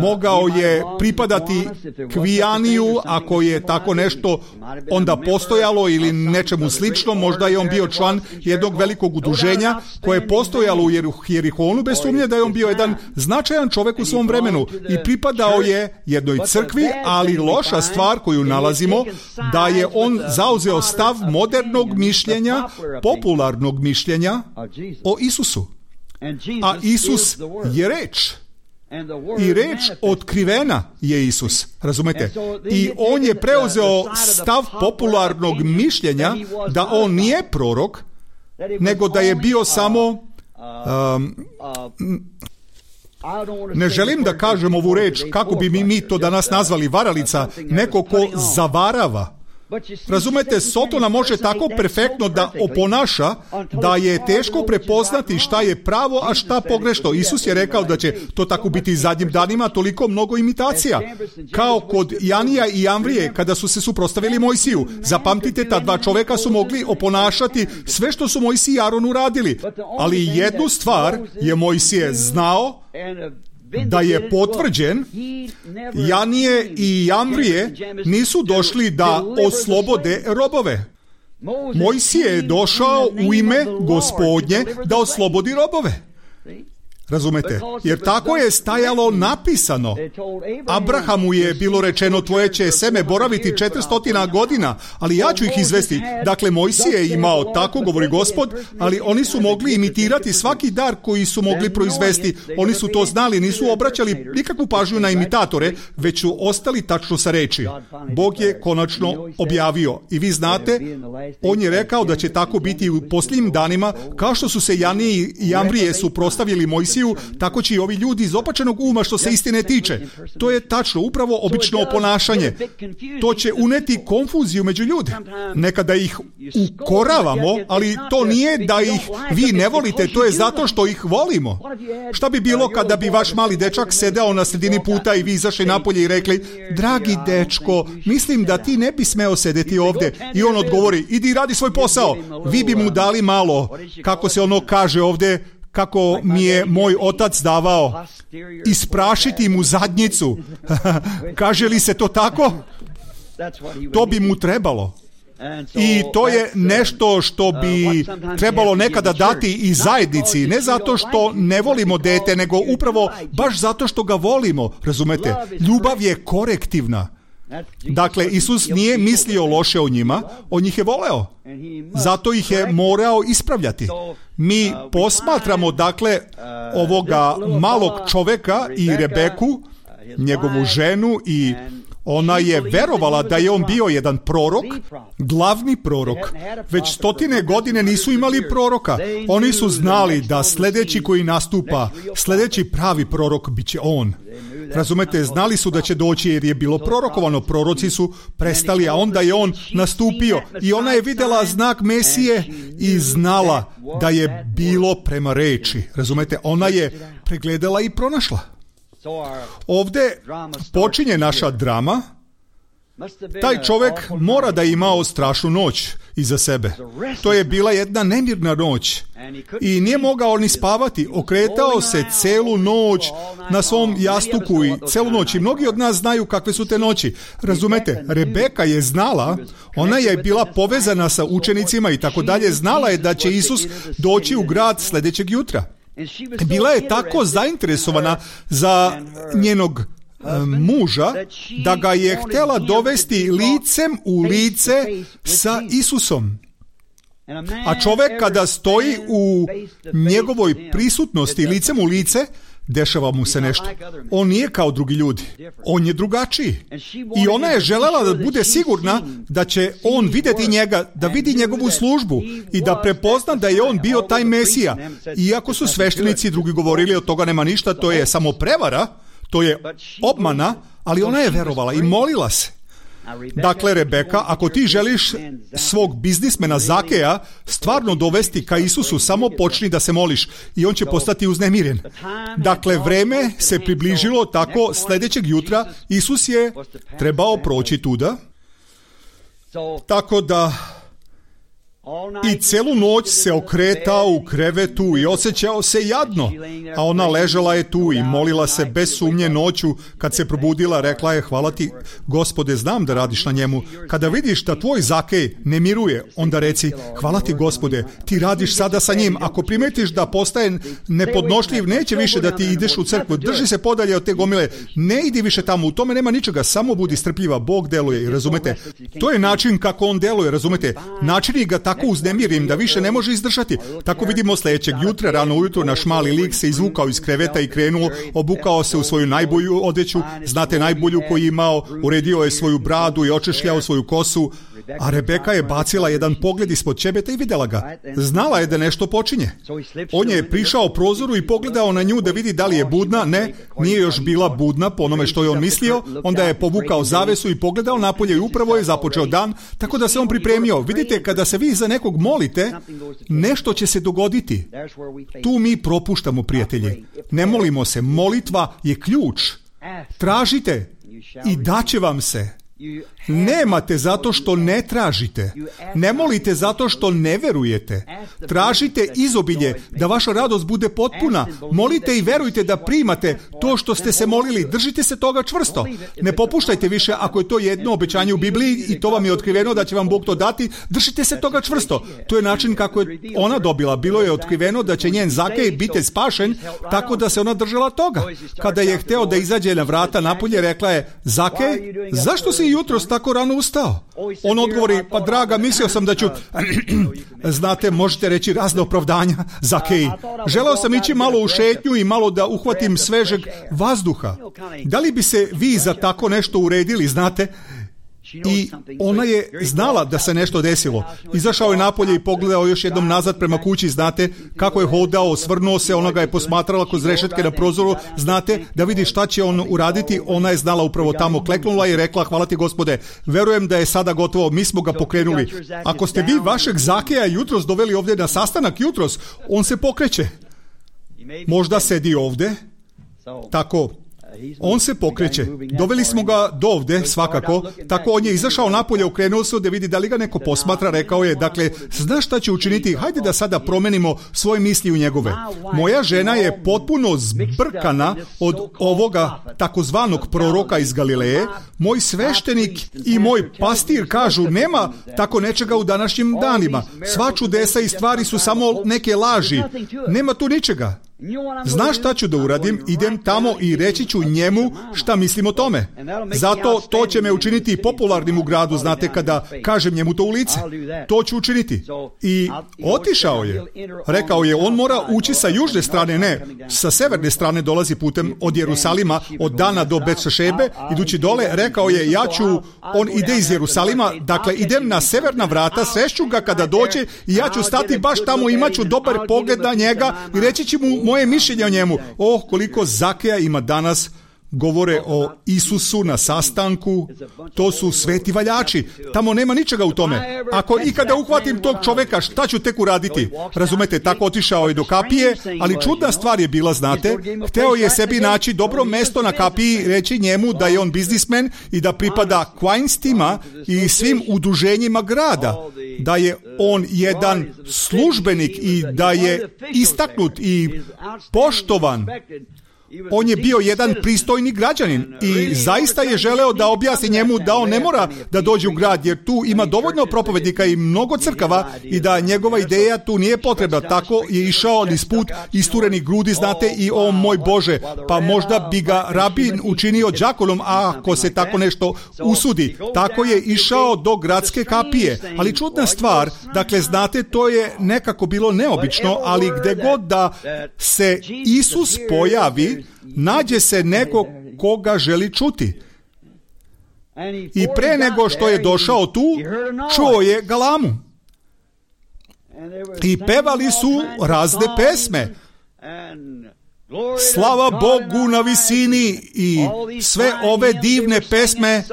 mogao je pripadati Kvijaniju, ako je tako nešto onda postojalo ili nečemu slično. Možda je on bio član jednog velikog udruženja koje je postojalo u Jerihonu, bez sumnje da je on bio jedan značajan čovjek u svom vremenu i pripadao je jednoj crkvi, ali loša stvar koju nalazimo da je on zauzeo stav modernog mišljenja, popularnog mišljenja o Isusu. A Isus je reč. I reč otkrivena je Isus, razumete? I on je preuzeo stav popularnog mišljenja da on nije prorok, nego da je bio samo... Um, ne želim da kažem ovu reč, kako bi mi, mi to danas nazvali, varalica, neko ko zavarava. Razumete, Sotona može tako perfektno da oponaša da je teško prepoznati šta je pravo, a šta pogrešno. Isus je rekao da će to tako biti i zadnjim danima, toliko mnogo imitacija. Kao kod Janija i Jamvrije kada su se suprotstavili Mojsiju. Zapamtite, ta dva čoveka su mogli oponašati sve što su Mojsije i Aron uradili. Ali jednu stvar je Mojsije znao, da je potvrđen. Janije i Jamvrije nisu došli da oslobode robove. Mojsije je došao u ime Gospodnje da oslobodi robove. Razumete? Jer tako je stajalo napisano. Abrahamu je bilo rečeno, tvoje će seme boraviti četiristo godina, ali ja ću ih izvesti. Dakle, Mojsije je imao, tako govori Gospod, ali oni su mogli imitirati svaki dar koji su mogli proizvesti. Oni su to znali, nisu obraćali nikakvu pažnju na imitatore, već su ostali tačno sa reči. Bog je konačno objavio. I vi znate, on je rekao da će tako biti u posljednjim danima, kao što su se Janije i Jamvrije suprotstavili Mojsiju, tako će i ovi ljudi iz opačenog uma što se istine tiče. To je tačno, upravo obično ponašanje. To će uneti konfuziju među ljude. Nekada ih ukoravamo, ali to nije da ih vi ne volite, to je zato što ih volimo. Šta bi bilo kada bi vaš mali dečak sedeo na sredini puta i vi izašli napolje i rekli, dragi dečko, mislim da ti ne bi smeo sedeti ovdje. I on odgovori, idi radi svoj posao. Vi bi mu dali malo, kako se ono kaže ovdje, kako mi je moj otac davao, isprašiti mu zadnjicu. Kaže li se to tako? To bi mu trebalo. I to je nešto što bi trebalo nekada dati i zajednici, ne zato što ne volimo dete, nego upravo baš zato što ga volimo, razumete? Ljubav je korektivna. Dakle, Isus nije mislio loše o njima, on njih je voleo. Zato ih je morao ispravljati. Mi posmatramo, dakle, ovoga malog čoveka i Rebeku, njegovu ženu, i ona je verovala da je on bio jedan prorok, glavni prorok. Već stotine godine nisu imali proroka. Oni su znali da sljedeći koji nastupa, sljedeći pravi prorok bit će on. Razumete, znali su da će doći jer je bilo prorokovano. Proroci su prestali, a onda je on nastupio. I ona je vidjela znak Mesije i znala da je bilo prema reči. Razumete, ona je pregledala i pronašla. Ovdje počinje naša drama. Taj čovjek mora da je imao strašnu noć iza sebe. To je bila jedna nemirna noć i nije mogao ni spavati. Okretao se celu noć na svom jastuku i celu noć. I mnogi od nas znaju kakve su te noći. Razumete, Rebeka je znala, ona je bila povezana sa učenicima i tako dalje, znala je da će Isus doći u grad sljedećeg jutra. Bila je tako zainteresovana za njenog muža da ga je htjela dovesti licem u lice sa Isusom. A čovjek kada stoji u njegovoj prisutnosti licem u lice, dešava mu se nešto. On nije kao drugi ljudi. On je drugačiji. I ona je željela da bude sigurna da će on vidjeti njega, da vidi njegovu službu i da prepozna da je on bio taj Mesija. Iako su sveštenici drugi govorili od toga nema ništa, to je samo prevara, to je obmana, ali ona je verovala i molila se. Dakle, Rebeka, ako ti želiš svog biznismena Zakeja stvarno dovesti ka Isusu, samo počni da se moliš i on će postati uznemiren. Dakle, vreme se približilo, tako sljedećeg jutra Isus je trebao proći tuda, tako da i celu noć se okretao u krevetu i osjećao se jadno, a ona ležala je tu i molila se bez sumnje noću. Kad se probudila, rekla je: hvala ti, Gospode, znam da radiš na njemu. Kada vidiš da tvoj Zakej ne miruje, onda reci: hvala ti, Gospode, ti radiš sada sa njim. Ako primetiš da postaje nepodnošljiv, neće više da ti ideš u crkvu. Drži se podalje od te gomile, ne idi više tamo, u tome nema ničega, samo budi strpljiva, Bog deluje. I razumete, to je način kako on deluje, razumete, načini ga tako uznemirim da više ne može izdržati. Tako vidimo sljedećeg jutra, rano ujutro, naš mali lik se izvukao iz kreveta i krenuo, obukao se u svoju najbolju odeću, znate, najbolju koju je imao, uredio je svoju bradu i očešljao svoju kosu, a Rebeka je bacila jedan pogled ispod ćebeta i vidjela ga. Znala je da nešto počinje. On je prišao prozoru i pogledao na nju da vidi da li je budna. Ne, nije još bila budna po onome što je on mislio. Onda je povukao zavesu i pogledao napolje i upravo je započeo dan, tako da se on pripremio. Vidite, kada se vi za nekog molite, nešto će se dogoditi. Tu mi propuštamo, prijatelji. Ne molimo se. Molitva je ključ. Tražite i daće vam se. Nemate zato što ne tražite. Ne molite zato što ne verujete. Tražite izobilje, da vaša radost bude potpuna. Molite i verujte da primate to što ste se molili. Držite se toga čvrsto. Ne popuštajte više ako je to jedno obećanje u Bibliji i to vam je otkriveno da će vam Bog to dati. Držite se toga čvrsto. To je način kako je ona dobila. Bilo je otkriveno da će njen Zakej biti spašen, tako da se ona držala toga. Kada je hteo da izađe na vrata napolje, rekla je: Zakej, zašto si jutros tako rano ustao? On odgovori: pa draga, mislio sam da ću... Znate, možete reći razne opravdanja, Zakej. Želeo sam ići malo u šetnju i malo da uhvatim svežeg vazduha. Da li bi se vi za tako nešto uredili, znate? I ona je znala da se nešto desilo. Izašao je napolje i pogledao još jednom nazad prema kući, znate, kako je hodao, osvrnuo se, ona ga je posmatrala kroz rešetke na prozoru, znate, da vidi šta će on uraditi. Ona je znala upravo tamo, kleknula i rekla: hvala ti, Gospode, verujem da je sada gotovo, mi smo ga pokrenuli. Ako ste vi vašeg Zakeja jutros doveli ovdje na sastanak jutros, on se pokreće. Možda sedi ovdje, tako... On se pokreće. Doveli smo ga do ovde, svakako. Tako on je izašao napolje, okrenuo se da vidi da li ga neko posmatra, rekao je: dakle, znaš šta će učiniti? Hajde da sada promenimo svoje misli u njegove. Moja žena je potpuno zbrkana od ovoga takozvanog proroka iz Galileje. Moj sveštenik i moj pastir kažu: nema tako nečega u današnjim danima. Sva čudesa i stvari su samo neke laži. Nema tu ničega. Znaš šta ću da uradim? Idem tamo i reći ću njemu šta mislim o tome. Zato to će me učiniti popularnim u gradu, znate, kada kažem njemu to u lice. To ću učiniti. I otišao je. Rekao je: on mora ući sa južne strane, ne, sa severne strane dolazi putem od Jerusalima, od Dana do Bet-Šešebe, idući dole. Rekao je: ja ću, on ide iz Jerusalima, dakle idem na severna vrata, srešću ga kada dođe i ja ću stati baš tamo, imat ću dobar pogled na njega i reći ću mu moje mišljenje o njemu. Oh, koliko Zakeja ima danas. Govore o Isusu na sastanku. To su sveti valjači. Tamo nema ničega u tome. Ako ikada uhvatim tog čoveka, šta ću tek uraditi? Razumete, tako otišao je do kapije, ali čudna stvar je bila, znate. Hteo je sebi naći dobro mesto na kapiji, reći njemu da je on biznismen i da pripada Quainstima i svim udruženjima grada. da je on jedan službenik i da je istaknut i poštovan. On je bio jedan pristojni građanin i zaista je želeo da objasni njemu da on ne mora da dođe u grad, jer tu ima dovoljno propovednika i mnogo crkava i da njegova ideja tu nije potrebna. Tako je išao niz put isturenih grudi, znate, i o moj Bože, pa možda bi ga rabin učinio đakonom ako se tako nešto usudi. Tako je išao do gradske kapije. Ali čudna stvar, dakle, znate, to je nekako bilo neobično, ali gde god da se Isus pojavi, nađe se neko koga želi čuti. I pre nego što je došao tu, čuo je galamu. I pevali su razne pesme. Slava Bogu na visini i sve ove divne pesme,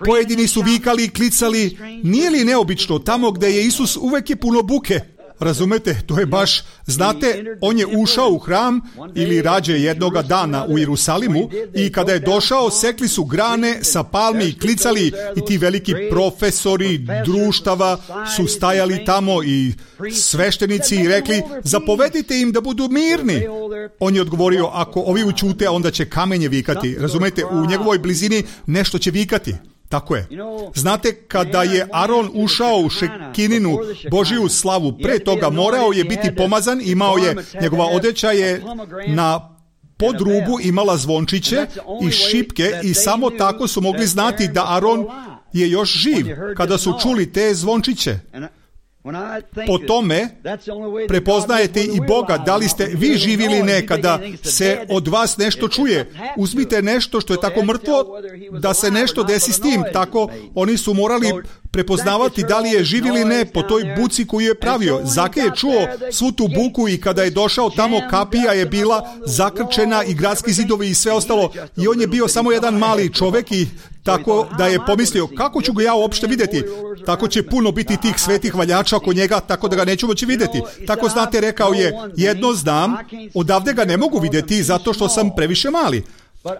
pojedini su vikali i klicali. Nije li neobično, tamo gde je Isus uvek je puno buke? Razumete, to je baš, znate, on je ušao u hram ili rađe jednoga dana u Jerusalimu i kada je došao, sekli su grane sa palmi i klicali i ti veliki profesori društava su stajali tamo i sveštenici i rekli, zapovedite im da budu mirni. On je odgovorio, ako ovi ućute, onda će kamenje vikati. Razumete, u njegovoj blizini nešto će vikati. Tako je. Znate, kada je Aron ušao u Šekininu Božiju slavu, pre toga morao je biti pomazan, imao je, njegova odeća je na podrubu imala zvončiće i šipke i samo tako su mogli znati da Aron je još živ, kada su čuli te zvončiće. Po tome prepoznajete i Boga, da li ste vi živi ili ne, kada se od vas nešto čuje. Uzmite nešto što je tako mrtvo, da se nešto desi s tim. Tako oni su morali prepoznavati da li je živ ili ne po toj buci koju je pravio. Zake je čuo svu tu buku i kada je došao tamo, kapija je bila zakrčena i gradski zidovi i sve ostalo. I on je bio samo jedan mali čovek i tako da je pomislio, kako ću ga ja uopšte vidjeti? Tako će puno biti tih svetih valjača oko njega, tako da ga neću moći vidjeti. Tako, znate, rekao je, jedno znam, odavde ga ne mogu vidjeti zato što sam previše mali.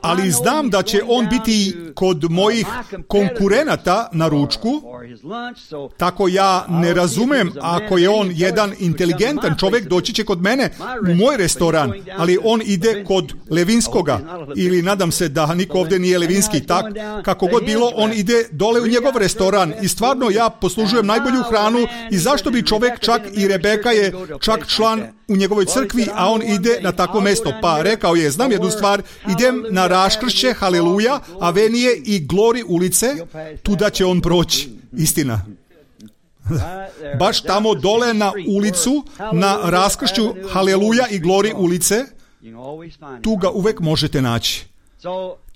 Ali znam da će on biti kod mojih konkurenata na ručku, tako ja ne razumem, ako je on jedan inteligentan čovjek, doći će kod mene u moj restoran, ali on ide kod Levinskoga, ili nadam se da niko ovdje nije Levinski, tak, kako god bilo, on ide dole u njegov restoran i stvarno ja poslužujem najbolju hranu i zašto bi čovjek, čak i Rebeka je čak član u njegovoj crkvi, a on ide na takvo mesto. Pa rekao je, znam jednu stvar, idem na Raskršće, Haleluja, Avenije i Glori ulice, tuda će on proći. Istina. Baš tamo dole na ulicu, na Raskršću, Haleluja i Glori ulice, tu ga uvek možete naći.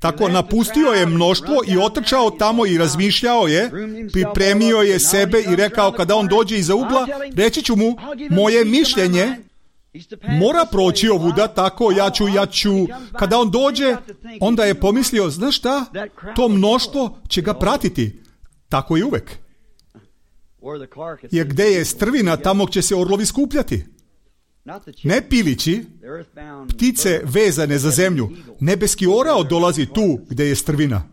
Tako napustio je mnoštvo i otrčao tamo i razmišljao je, pripremio je sebe i rekao, kada on dođe iza ugla, reći ću mu, moje mišljenje mora proći ovuda, tako ja ću, ja ću. Kada on dođe, onda je pomislio, znaš šta, to mnoštvo će ga pratiti. Tako i uvek. Jer gde je strvina, tamo će se orlovi skupljati. Ne pilići, ptice vezane za zemlju. Nebeski orao dolazi tu gde je strvina.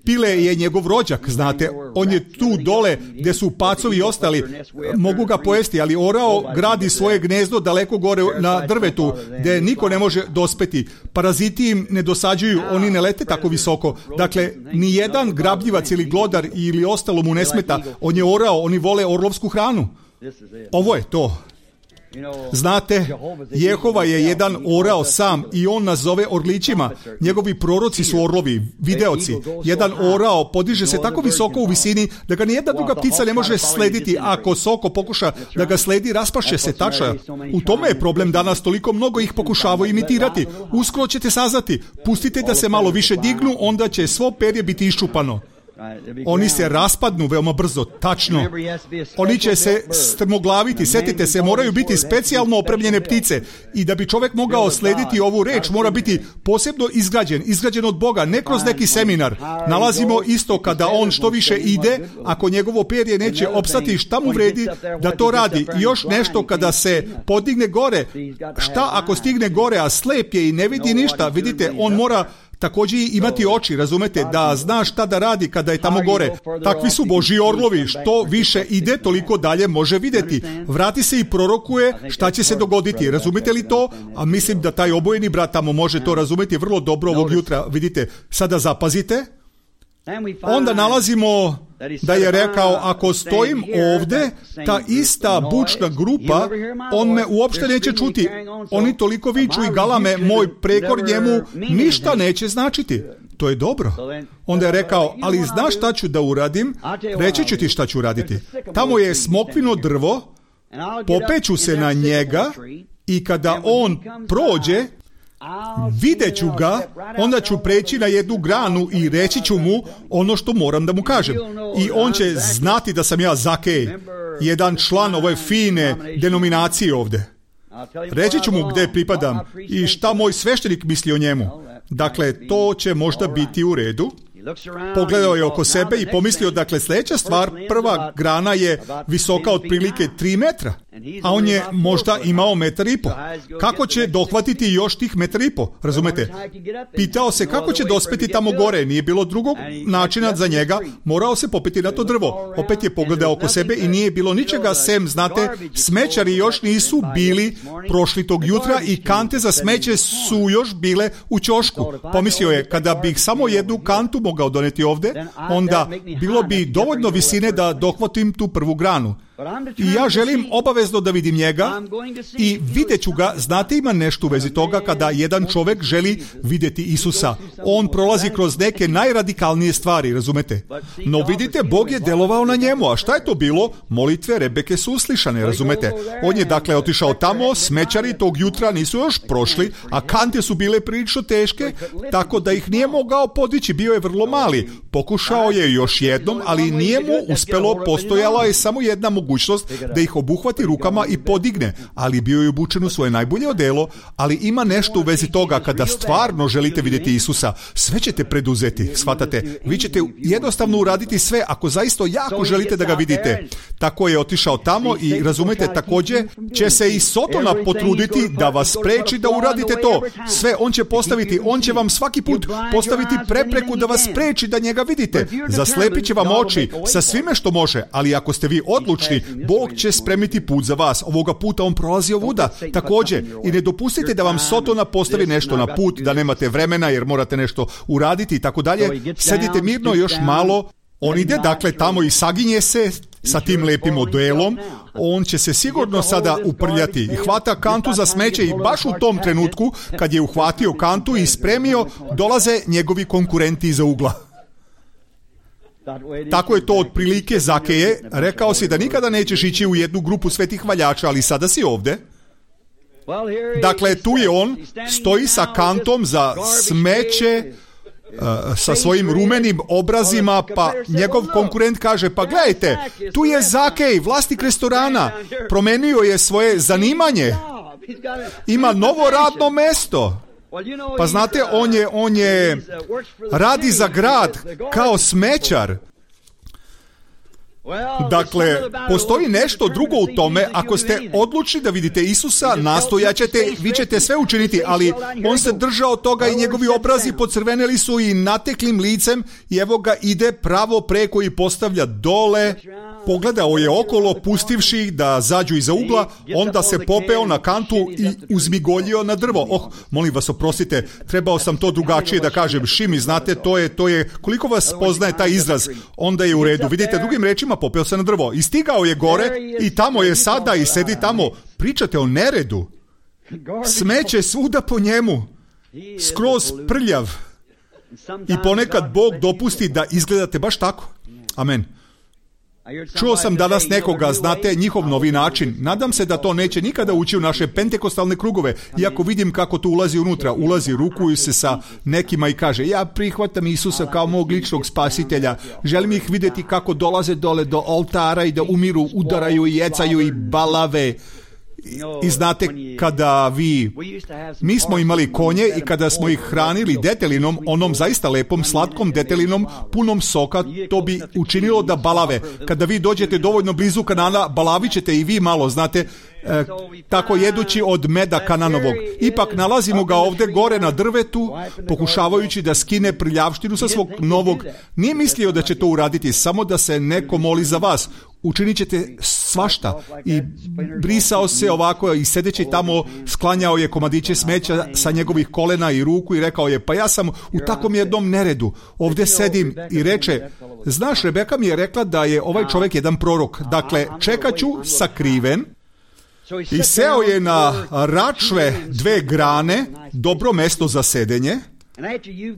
Pile je njegov rođak, znate, on je tu dole gdje su pacovi i ostali, mogu ga pojesti, ali orao gradi svoje gnezdo daleko gore na drvetu, gdje niko ne može dospeti. Paraziti im ne dosađuju, oni ne lete tako visoko. Dakle, ni jedan grabljivac ili glodar ili ostalo mu ne smeta. On je orao, oni vole orlovsku hranu. Ovo je to. Znate, Jehova je jedan orao sam i on nas zove orlićima. Njegovi proroci su orlovi, videoci. Jedan orao podiže se tako visoko u visini da ga nijedna druga ptica ne može slediti. Ako soko pokuša da ga sledi, raspašće se tača. U tome je problem danas, toliko mnogo ih pokušavaju imitirati. Uskoro ćete saznati, pustite da se malo više dignu, onda će svo perje biti iščupano. Oni se raspadnu veoma brzo, tačno. Oni će se strmoglaviti, setite se, moraju biti specijalno opremljene ptice. I da bi čovjek mogao slediti ovu reč, mora biti posebno izgrađen, izgrađen od Boga, ne kroz neki seminar. Nalazimo isto kada on što više ide, ako njegovo perje neće opstati, šta mu vredi da to radi. I još nešto, kada se podigne gore, šta ako stigne gore, a slep je i ne vidi ništa, vidite, on mora također imati oči, razumete, da zna šta da radi kada je tamo gore. Takvi su Božji orlovi, što više ide, toliko dalje može vidjeti. Vrati se i prorokuje šta će se dogoditi, razumite li to? A mislim da taj obojeni brat tamo može to razumjeti vrlo dobro ovog jutra. Vidite, sada zapazite. Onda nalazimo da je rekao, ako stojim ovdje, ta ista bučna grupa, on me uopšte neće čuti. Oni toliko viču i galame, moj prekor njemu ništa neće značiti. To je dobro. Onda je rekao, ali znaš šta ću da uradim? Reći ću ti šta ću raditi. Tamo je smokvino drvo, popeću se na njega i kada on prođe, vidjet ću ga, onda ću preći na jednu granu i reći ću mu ono što moram da mu kažem. I on će znati da sam ja Zakej, jedan član ove fine denominacije ovdje. Reći ću mu gdje pripadam i šta moj sveštenik misli o njemu. Dakle, to će možda biti u redu. Pogledao je oko sebe i pomislio, dakle, sljedeća stvar, prva grana je visoka otprilike tri metra, a on je možda imao metar i po. Kako će dohvatiti još tih metar i po, razumete? Pitao se kako će dospeti tamo gore, nije bilo drugog načina za njega, morao se popeti na to drvo. Opet je pogledao oko sebe i nije bilo ničega sem, znate, smećari još nisu bili prošli tog jutra i kante za smeće su još bile u ćošku. Pomislio je, kada bih samo jednu kantu mogao doneti ovdje, onda bilo bi dovoljno visine da dohvatim tu prvu granu. I ja želim obavezno da vidim njega i vidjet ću ga. Znate, ima nešto u vezi toga kada jedan čovjek želi vidjeti Isusa. On prolazi kroz neke najradikalnije stvari, razumete? No vidite, Bog je delovao na njemu. A šta je to bilo? Molitve Rebeke su uslišane, razumete? On je dakle otišao tamo, smećari tog jutra nisu još prošli, a kante su bile prilično teške, tako da ih nije mogao podići, bio je vrlo mali. Pokušao je još jednom, ali nije mu uspelo, postojala je samo jedna mogućnost da ih obuhvati rukama i podigne, ali bio je obučen u svoje najbolje odelo. Ali ima nešto u vezi toga, kada stvarno želite vidjeti Isusa, sve ćete preduzeti, shvatate, vi ćete jednostavno uraditi sve ako zaista jako želite da ga vidite. Tako je otišao tamo i razumete, također će se i Sotona potruditi da vas spreči da uradite to. Sve on će postaviti, on će vam svaki put postaviti prepreku da vas spreči da njega vidite. Zaslepit će vam oči sa svime što može, ali ako ste vi odlučni, Bog će spremiti put za vas. Ovoga puta on prolazi ovuda. Također, i ne dopustite da vam Sotona postavi nešto na put, da nemate vremena jer morate nešto uraditi i tako dalje. Sedite mirno još malo. On ide dakle tamo i saginje se sa tim lepim odelom. On će se sigurno sada uprljati i hvata kantu za smeće i baš u tom trenutku kad je uhvatio kantu i spremio, dolaze njegovi konkurenti iza ugla. Tako je to otprilike Zakeje. Rekao si da nikada nećeš ići u jednu grupu svetih hvaljača, ali sada si ovdje. Dakle, tu je on, stoji sa kantom za smeće, sa svojim rumenim obrazima, pa njegov konkurent kaže, pa gledajte, tu je Zakej, vlasnik restorana, promenio je svoje zanimanje, ima novo radno mesto. Pa znate, on je, on je radi za grad kao smećar. Dakle, postoji nešto drugo u tome. Ako ste odlučni da vidite Isusa, nastojaćete, vi ćete sve učiniti, ali on se držao toga i njegovi obrazi pocrveneli su i nateklim licem i evo ga ide pravo preko i postavlja dole. Pogledao je okolo, pustivši ih da zađu iza ugla, onda se popeo na kantu i uzmigoljio na drvo. Oh, molim vas, oprostite, trebao sam to drugačije da kažem. Šimi, znate, to je, to je, koliko vas poznaje taj izraz, onda je u redu. Vidite, drugim rečima, popeo se na drvo. I stigao je gore i tamo je sada i sedi tamo. Pričate o neredu. Smeće svuda po njemu. Skroz prljav. I ponekad Bog dopusti da izgledate baš tako. Amen. Čuo sam danas nekoga, znate, njihov novi način. Nadam se da to neće nikada ući u naše pentekostalne krugove. Iako vidim kako to ulazi unutra, ulazi, rukuju se sa nekima i kaže, ja prihvatam Isusa kao mog ličnog spasitelja. Želim ih vidjeti kako dolaze dole do oltara i da umiru, udaraju i jecaju i balave. I znate, kada vi, mi smo imali konje i kada smo ih hranili detelinom, onom zaista lepom, slatkom detelinom, punom soka, to bi učinilo da balave. Kada vi dođete dovoljno blizu Kanana, balavit ćete i vi malo, znate, E, tako jedući od meda Kananovog. Ipak nalazimo ga ovde gore na drvetu, pokušavajući da skine prljavštinu sa svog novog. Nije mislio da će to uraditi, samo da se neko moli za vas. Učinit ćete svašta. I brisao se ovako i sedeći tamo sklanjao je komadiće smeća sa njegovih kolena i ruku i rekao je, pa ja sam u takvom jednom neredu. Ovde sedim i reče, znaš, Rebeka mi je rekla da je ovaj čovjek jedan prorok. Dakle, čekat ću sakriven. I seo je na račve dve grane, dobro mesto za sedenje.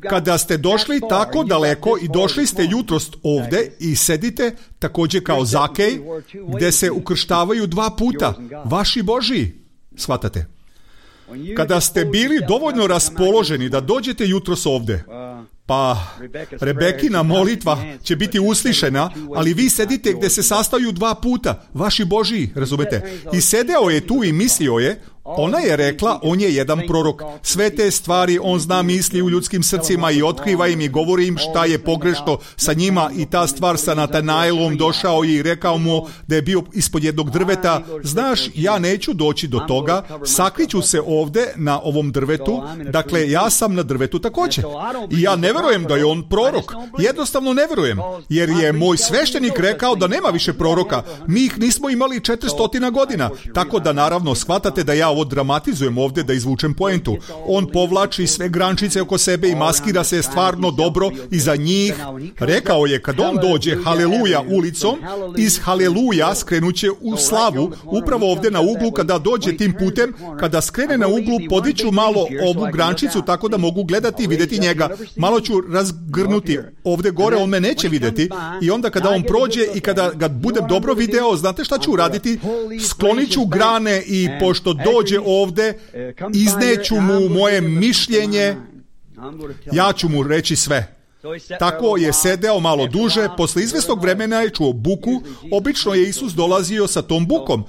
Kada ste došli tako daleko i došli ste jutros ovde i sedite također kao Zakej, gde se ukrštavaju dva puta, vaši Božiji, shvatate? Kada ste bili dovoljno raspoloženi da dođete jutros ovde, pa Rebekina molitva će biti uslišena, ali vi sedite gde se sastaju dva puta, vaši Božiji, razumete? I sedeo je tu i mislio je, ona je rekla, on je jedan prorok. Sve te stvari on zna misli u ljudskim srcima i otkriva im i govori im šta je pogrešno sa njima. I ta stvar sa Natanaelom došao i rekao mu da je bio ispod jednog drveta. Znaš, ja neću doći do toga, sakriću se ovde na ovom drvetu. Dakle, ja sam na drvetu također. I ja ne verujem da je on prorok. Jednostavno ne verujem. Jer je moj sveštenik rekao da nema više proroka. Mi ih nismo imali četiristo godina. Tako da naravno shvatate da ja ovo dramatizujem ovdje da izvučem poentu. On povlači sve grančice oko sebe i maskira se stvarno dobro iza njih. Rekao je, kad on dođe haleluja ulicom, iz haleluja skrenuće u slavu, upravo ovdje na uglu kada dođe tim putem, kada skrene na uglu, podiću malo ovu grančicu tako da mogu gledati i vidjeti njega. Malo ću razgrnuti ovdje gore, on me neće vidjeti i onda kada on prođe i kada ga budem dobro video, znate šta ću uraditi? Sklonit ću grane i pošto dođe ovde, izneću mu moje mišljenje, ja ću mu reći sve. Tako je sedeo malo duže, posle izvesnog vremena je čuo buku, obično je Isus dolazio sa tom bukom.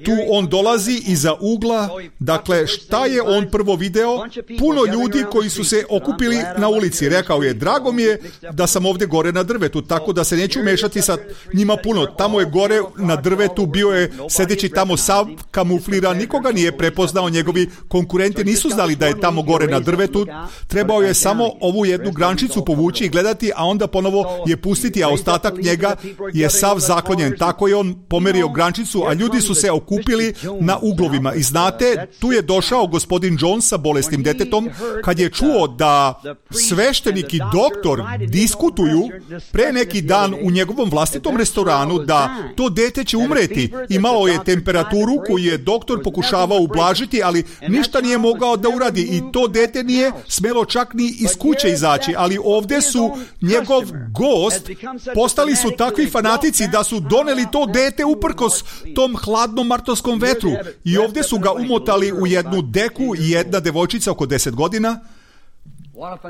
Tu on dolazi iza ugla, dakle šta je on prvo video? Puno ljudi koji su se okupili na ulici. Rekao je, drago mi je da sam ovdje gore na drvetu, tako da se neću mešati sa njima puno. Tamo je gore na drvetu, bio je sedeći tamo sav kamufliran, nikoga nije prepoznao, njegovi konkurenti nisu znali da je tamo gore na drvetu, trebao je samo ovu jednu grančicu povući i gledati, a onda ponovo je pustiti, a ostatak njega je sav zaklonjen. Tako je on pomerio grančicu, a ljudi su se okupili na uglovima. I znate, tu je došao gospodin Jones sa bolesnim detetom, kad je čuo da sveštenik i doktor diskutuju pre neki dan u njegovom vlastitom restoranu da to dete će umreti. Imalo je temperaturu koju je doktor pokušavao ublažiti, ali ništa nije mogao da uradi i to dete nije smelo čak ni iz kuće izaći, ali ovdje su njegov gost, postali su takvi fanatici da su doneli to dete uprkos tom hladnom martovskom vetru i ovdje su ga umotali u jednu deku i jedna devojčica oko deset godina.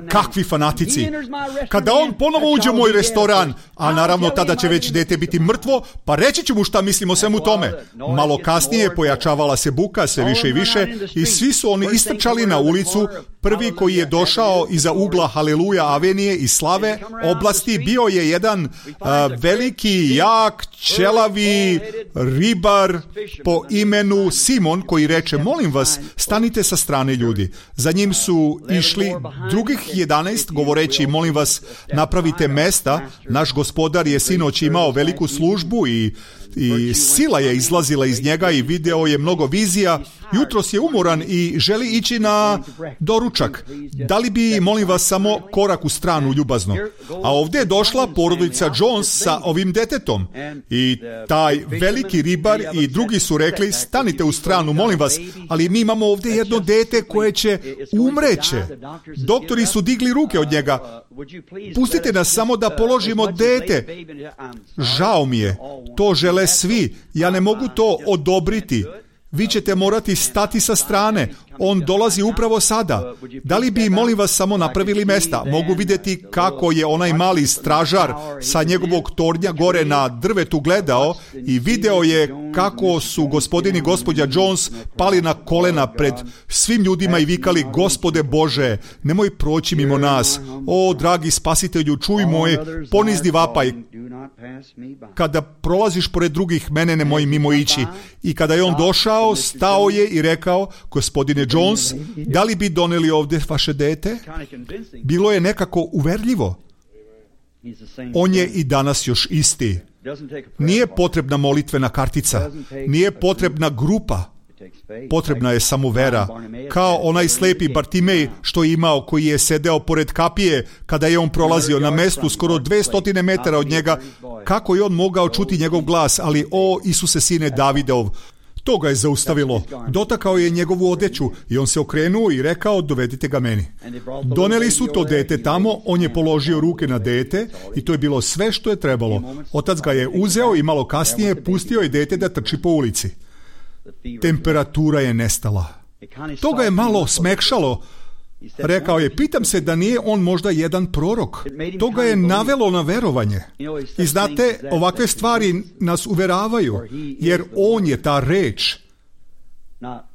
Kakvi fanatici. Kada on ponovo uđe u moj restoran, a naravno tada će već dete biti mrtvo, pa reći ću mu šta mislim o svemu tome. Malo kasnije pojačavala se buka sve više i više i svi su oni istrčali na ulicu. Prvi koji je došao iza ugla Haleluja avenije i Slave oblasti bio je jedan uh, veliki, jak, ćelavi ribar po imenu Simon, koji reče, molim vas, stanite sa strane ljudi. Za njim su išli drugih jedanaest govoreći, molim vas, napravite mesta. Naš gospodar je sinoć imao veliku službu i i sila je izlazila iz njega i video je mnogo vizija. Jutros je umoran i želi ići na doručak. Da li bi, molim vas, samo korak u stranu ljubazno? A ovdje je došla porodica Jones sa ovim detetom i taj veliki ribar i drugi su rekli, stanite u stranu, molim vas, ali mi imamo ovdje jedno dete koje će umreće. Doktori su digli ruke od njega. Pustite nas samo da položimo dete. Žao mi je, to žele svi. Ja ne mogu to odobriti. Vi ćete morati stati sa strane. On dolazi upravo sada. Da li bi, molim vas, samo napravili mesta? Mogu vidjeti kako je onaj mali stražar sa njegovog tornja gore na drvetu gledao i video je kako su gospodin i gospođa Jones pali na kolena pred svim ljudima i vikali: Gospode Bože, nemoj proći mimo nas. O, dragi spasitelju, čuj moj ponizni vapaj. Kada prolaziš pored drugih, mene nemoj mimo ići. I kada je on došao, stao je i rekao: Gospodine Jones, da li bi doneli ovdje vaše dete? Bilo je nekako uverljivo. On je i danas još isti. Nije potrebna molitvena kartica, nije potrebna grupa, potrebna je samo vera. Kao onaj slepi Bartimej što je imao, koji je sedeo pored kapije kada je on prolazio na mestu skoro dvjesto metara od njega. Kako je on mogao čuti njegov glas? Ali o Isuse, sine Davidov, to ga je zaustavilo. Dotakao je njegovu odeću i on se okrenuo i rekao: dovedite ga meni. Doneli su to dete tamo, on je položio ruke na dete i to je bilo sve što je trebalo. Otac ga je uzeo i malo kasnije pustio je dete da trči po ulici. Temperatura je nestala. To ga je malo smekšalo. Rekao je: pitam se da nije on možda jedan prorok. To ga je navelo na verovanje. I znate, ovakve stvari nas uveravaju, jer on je ta reč.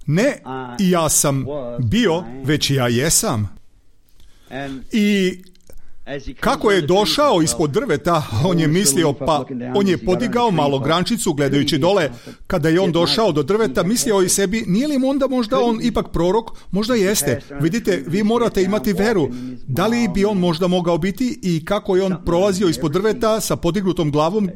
Ne ja sam bio, već ja jesam. I kako je došao ispod drveta, on je mislio, pa on je podigao malo grančicu gledajući dole. Kada je on došao do drveta, mislio je sebi: nije li onda možda on ipak prorok? Možda jeste. Vidite, vi morate imati veru. Da li bi on možda mogao biti? I kako je on prolazio ispod drveta sa podignutom glavom,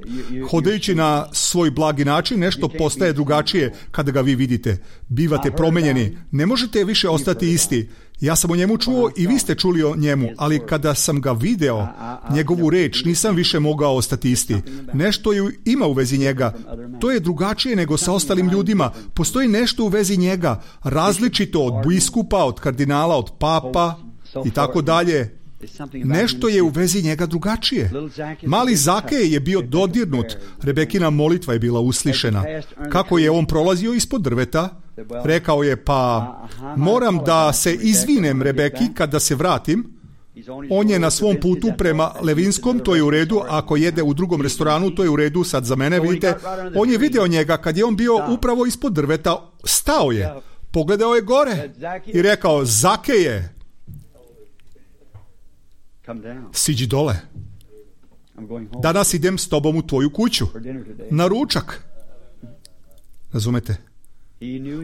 hodajući na svoj blagi način, nešto postaje drugačije kada ga vi vidite. Bivate promenjeni. Ne možete više ostati isti. Ja sam o njemu čuo i vi ste čuli o njemu, ali kada sam ga video, njegovu reč, nisam više mogao ostati isti. Nešto je ima u vezi njega. To je drugačije nego sa ostalim ljudima. Postoji nešto u vezi njega, različito od biskupa, od kardinala, od papa i tako dalje. Nešto je u vezi njega drugačije. Mali Zakej je bio dodirnut. Rebekina molitva je bila uslišena. Kako je on prolazio ispod drveta, rekao je: pa moram da se izvinem Rebeki kada se vratim. On je na svom putu prema Levinskom, to je u redu. Ako jede u drugom restoranu, to je u redu. Sad za mene, vidite, on je video njega kad je on bio upravo ispod drveta. Stao je, pogledao je gore i rekao: Zakeje, siđi dole. Danas idem s tobom u tvoju kuću na ručak. Razumete?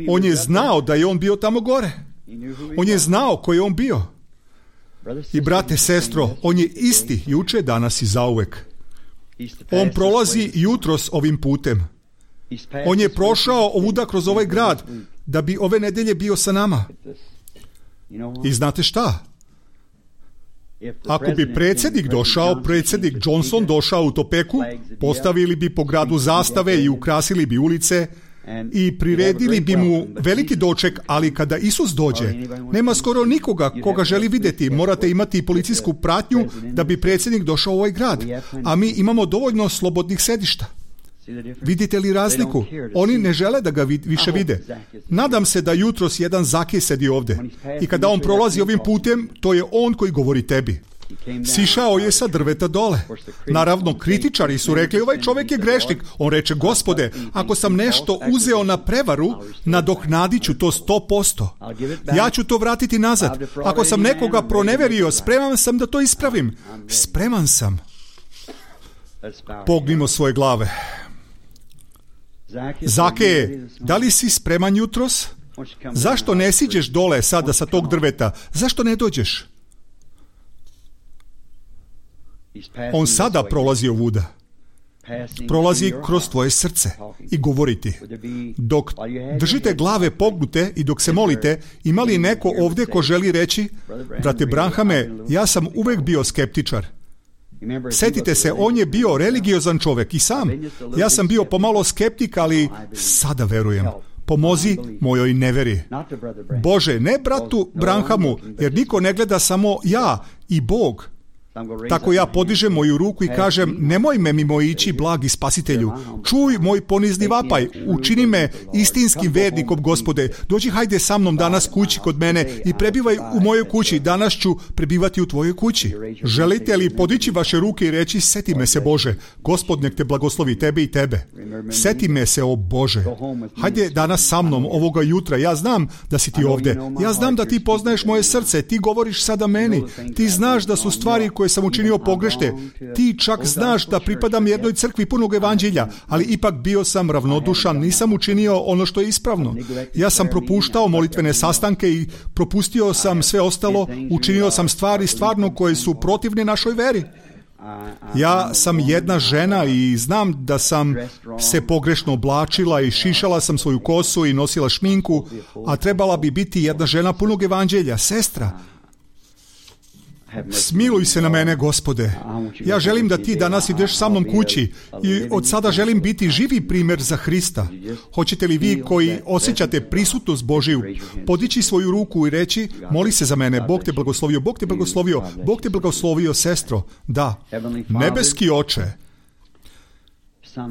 On je znao da je on bio tamo gore. On je znao ko je on bio. I brate, sestro, on je isti juče, danas i zauvek. On prolazi jutros ovim putem. On je prošao ovuda kroz ovaj grad da bi ove nedelje bio sa nama. I znate šta? Ako bi predsjednik došao, predsjednik Johnson došao u Topeku, postavili bi po gradu zastave i ukrasili bi ulice i priredili bi mu veliki doček, ali kada Isus dođe, nema skoro nikoga koga želi vidjeti. Morate imati policijsku pratnju da bi predsjednik došao u ovaj grad, a mi imamo dovoljno slobodnih sedišta. Vidite li razliku? Oni ne žele da ga više vide. Nadam se da jutros jedan Zakej sedi ovdje i kada on prolazi ovim putem, to je on koji govori tebi. Sišao je sa drveta dole. Naravno, kritičari su rekli: ovaj čovjek je grešnik. On reče: Gospode, ako sam nešto uzeo na prevaru, nadoknadit ću to sto posto. Ja ću to vratiti nazad. Ako sam nekoga proneverio, spreman sam da to ispravim. Spreman sam. Pognimo svoje glave. Zakeje, da li si spreman jutros? Zašto ne siđeš dole sada sa tog drveta? Zašto ne dođeš? On sada prolazi ovuda. Prolazi kroz tvoje srce i govori ti. Dok držite glave pognute i dok se molite, ima li neko ovdje ko želi reći: brate Branhame, ja sam uvijek bio skeptičar. Sjetite se, on je bio religiozan čovjek i sam. Ja sam bio pomalo skeptik, ali sada verujem. Pomozi mojoj neveri. Bože, ne bratu Branhamu, jer niko ne gleda samo ja i Bog. Tako ja podižem moju ruku i kažem, nemoj me mimo ići, blagi spasitelju. Čuj moj ponizni vapaj, učini me istinskim vernikom, Gospode. Dođi, hajde sa mnom danas kući kod mene i prebivaj u mojoj kući. Danas ću prebivati u tvojoj kući. Želite li podići vaše ruke i reći, seti me se, Bože. Gospod nek te blagoslovi, tebe i tebe. Seti me se, o Bože. Hajde danas sa mnom ovoga jutra. Ja znam da si ti ovdje. Ja znam da ti poznaješ moje srce. Ti govoriš sada meni. Ti znaš da su stvari koje sam učinio pogrešne. Ti čak znaš da pripadam jednoj crkvi punog evanđelja, ali ipak bio sam ravnodušan, nisam učinio ono što je ispravno. Ja sam propuštao molitvene sastanke i propustio sam sve ostalo, učinio sam stvari stvarno koje su protivne našoj veri. Ja sam jedna žena i znam da sam se pogrešno oblačila i šišala sam svoju kosu i nosila šminku, a trebala bi biti jedna žena punog evanđelja, sestra. Smiluj se na mene, Gospode. Ja želim da ti danas ideš sa mnom kući i od sada želim biti živi primjer za Hrista. Hoćete li vi koji osjećate prisutnost Božiju podići svoju ruku i reći, moli se za mene, Bog te blagoslovio, Bog te blagoslovio, Bog te blagoslovio, sestro. Da, nebeski Oče.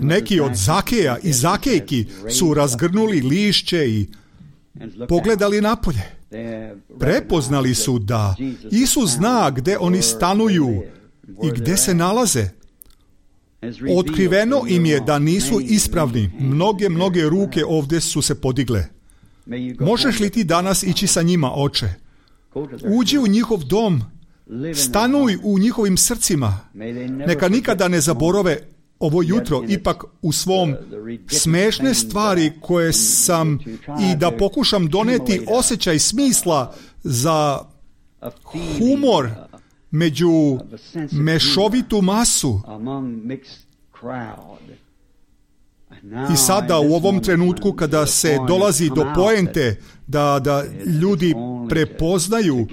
Neki od Zakeja i Zakejki su razgrnuli lišće i pogledali napolje. Prepoznali su da Isus zna gdje oni stanuju i gdje se nalaze. Otkriveno im je da nisu ispravni. Mnoge, mnoge ruke ovdje su se podigle. Možeš li ti danas ići sa njima, Oče? Uđi u njihov dom, stanuj u njihovim srcima. Neka nikada ne zaborave ovo jutro ipak u svom smešne stvari koje sam i da pokušam doneti osjećaj smisla za humor među mešovitu masu. I sada u ovom trenutku kada se dolazi do poente da, da ljudi prepoznaju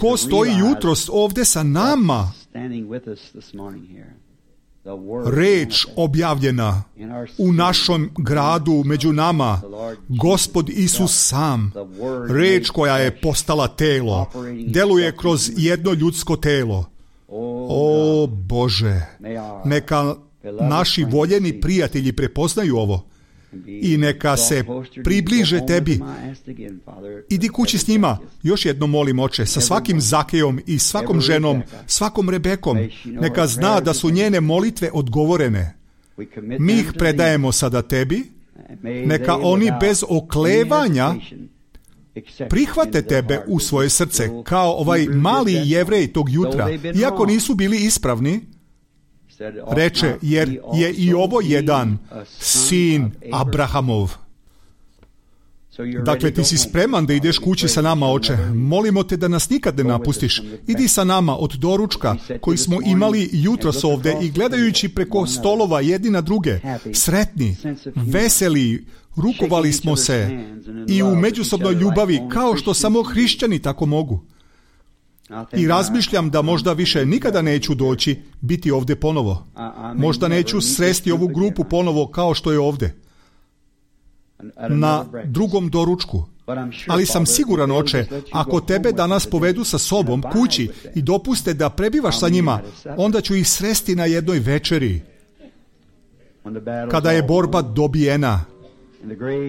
ko stoji jutros ovdje sa nama, reč objavljena u našom gradu među nama, Gospod Isus sam, reč koja je postala telo, deluje kroz jedno ljudsko telo. O Bože, neka naši voljeni prijatelji prepoznaju ovo i neka se približe tebi. Idi kući s njima. Još jedno molim, Oče, sa svakim Zakejom i svakom ženom, svakom Rebekom. Neka zna da su njene molitve odgovorene. Mi ih predajemo sada tebi. Neka oni bez oklevanja prihvate tebe u svoje srce, kao ovaj mali Jevrej tog jutra. Iako nisu bili ispravni, reče, jer je i ovo jedan sin Abrahamov. Dakle, ti si spreman da ideš kući sa nama, Oče. Molimo te da nas nikad ne napustiš. Idi sa nama od doručka koji smo imali jutros ovdje i gledajući preko stolova jedni na druge, sretni, veseli, rukovali smo se i u međusobnoj ljubavi kao što samo hrišćani tako mogu. I razmišljam da možda više nikada neću doći biti ovdje ponovo. Možda neću sresti ovu grupu ponovo kao što je ovdje. Na drugom doručku. Ali sam siguran, Oče, ako tebe danas povedu sa sobom kući i dopuste da prebivaš sa njima, onda ću ih sresti na jednoj večeri. Kada je borba dobijena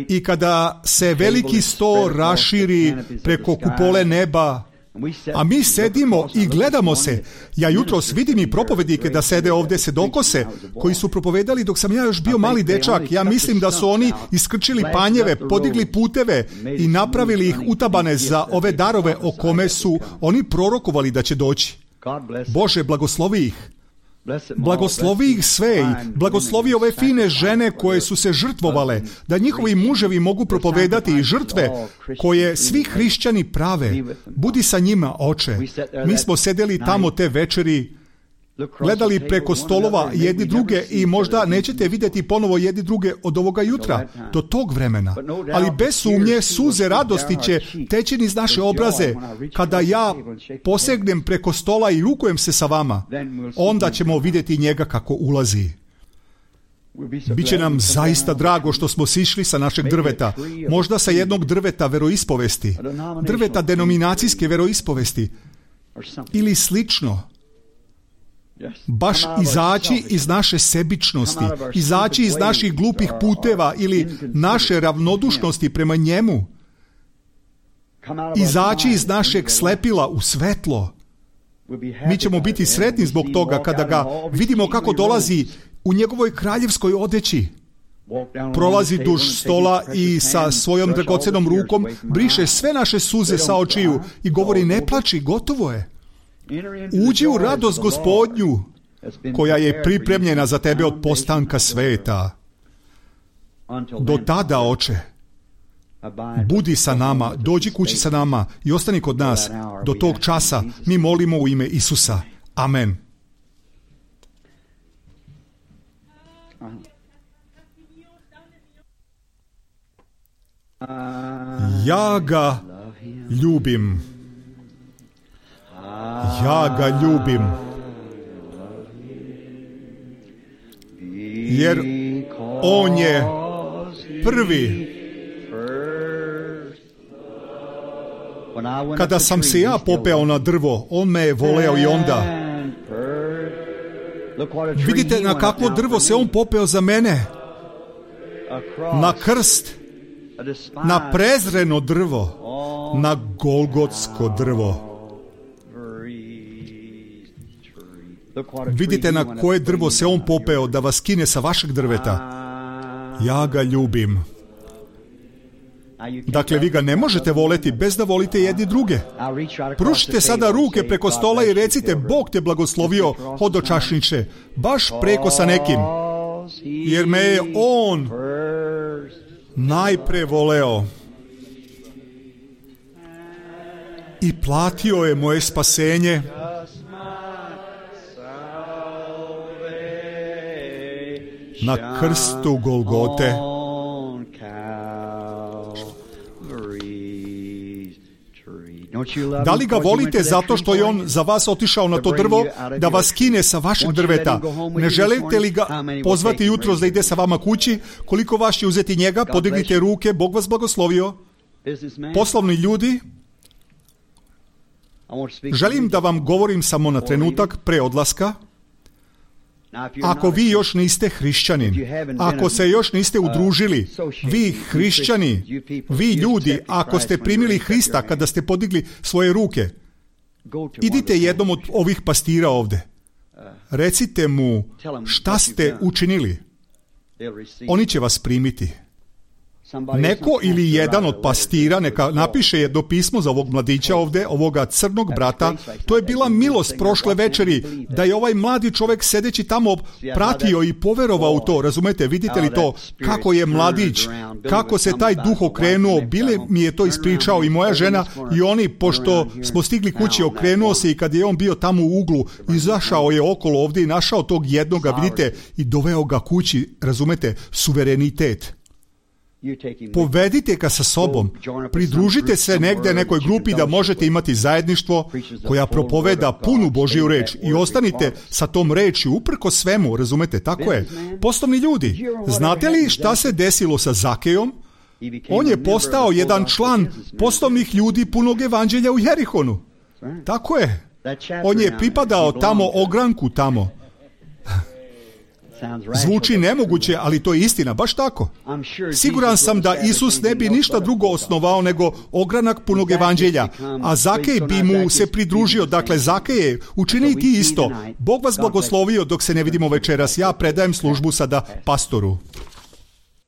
i kada se veliki sto raširi preko kupole neba, a mi sedimo i gledamo se. Ja jutros vidim i propovednike da sede ovdje sedokose, koji su propovedali dok sam ja još bio mali dečak. Ja mislim da su oni iskrčili panjeve, podigli puteve i napravili ih utabane za ove darove o kome su oni prorokovali da će doći. Bože, blagoslovi ih. Blagoslovi ih sve i blagoslovi ove fine žene koje su se žrtvovale, da njihovi muževi mogu propovedati i žrtve koje svi hrišćani prave. Budi sa njima, Oče. Mi smo sedeli tamo te večeri, gledali preko stolova jedni druge i možda nećete vidjeti ponovo jedni druge od ovoga jutra, do tog vremena. Ali bez sumnje suze radosti će teći niz naše obraze kada ja posegnem preko stola i rukujem se sa vama. Onda ćemo vidjeti njega kako ulazi. Biće nam zaista drago što smo sišli sa našeg drveta, možda sa jednog drveta veroispovesti, drveta denominacijske veroispovesti ili slično. baš izaći iz naše sebičnosti, izaći iz naših glupih puteva ili naše ravnodušnosti prema njemu, izaći iz našeg slepila u svetlo. Mi ćemo biti sretni zbog toga kada ga vidimo kako dolazi u njegovoj kraljevskoj odeći. Prolazi duž stola i sa svojom dragocenom rukom briše sve naše suze sa očiju i govori: ne plači, gotovo je. Uđi u radost Gospodnju koja je pripremljena za tebe od postanka sveta. Do tada, Oče, budi sa nama, dođi kući sa nama i ostani kod nas. Do tog časa mi molimo u ime Isusa. Amen. Ja ga ljubim. Ja ga ljubim. Jer on je prvi. Kada sam se ja popeo na drvo, on me je voleo i onda. Vidite na kakvo drvo se on popeo za mene. Na krst. Na prezreno drvo. Na golgotsko drvo. Vidite na koje drvo se on popeo da vas skine sa vašeg drveta. Ja ga ljubim. Dakle, vi ga ne možete voleti bez da volite jedni druge. Pružite sada ruke preko stola i recite: Bog te blagoslovio, hodočašniče, baš preko sa nekim, jer me je on najpre voleo i platio je moje spasenje. Na krstu Golgote. Da li ga volite zato što je on za vas otišao na to drvo da vas skine sa vašeg drveta? Ne želite li ga pozvati jutros da ide sa vama kući? Koliko vas će uzeti njega? Podignite ruke, Bog vas blagoslovio. Poslovni ljudi, želim da vam govorim samo na trenutak pre odlaska. Ako vi još niste hrišćanin, ako se još niste udružili, vi hrišćani, vi ljudi, ako ste primili Hrista kada ste podigli svoje ruke, idite jednom od ovih pastira ovde. Recite mu šta ste učinili. Oni će vas primiti. Neko ili jedan od pastira neka napiše jedno pismo za ovog mladića ovde, ovoga crnog brata. To je bila milost prošle večeri, da je ovaj mladi čovek sedeći tamo pratio i poverovao u to. Razumete, vidite li to? Kako je mladić, kako se taj duh okrenuo. Bile mi je to ispričao i moja žena i oni, pošto smo stigli kući, okrenuo se i kad je on bio tamo u uglu, izašao je okolo ovde i našao tog jednoga, vidite, i doveo ga kući. Razumete, suverenitet. Povedite ga sa sobom, pridružite se negde nekoj grupi da možete imati zajedništvo koja propoveda punu Božju reč i ostanite sa tom reči uprko svemu, razumete, tako je. Poslovni ljudi, znate li šta se desilo sa Zakejom? On je postao jedan član poslovnih ljudi punog evanđelja u Jerihonu. Tako je. On je pripadao tamo ogranku tamo. Zvuči nemoguće, ali to je istina, baš tako. Siguran sam da Isus ne bi ništa drugo osnovao nego ogranak punog evanđelja, a Zakej bi mu se pridružio. Dakle, Zakeje, učini ti isto. Bog vas blagoslovio dok se ne vidimo večeras. Ja predajem službu sada pastoru.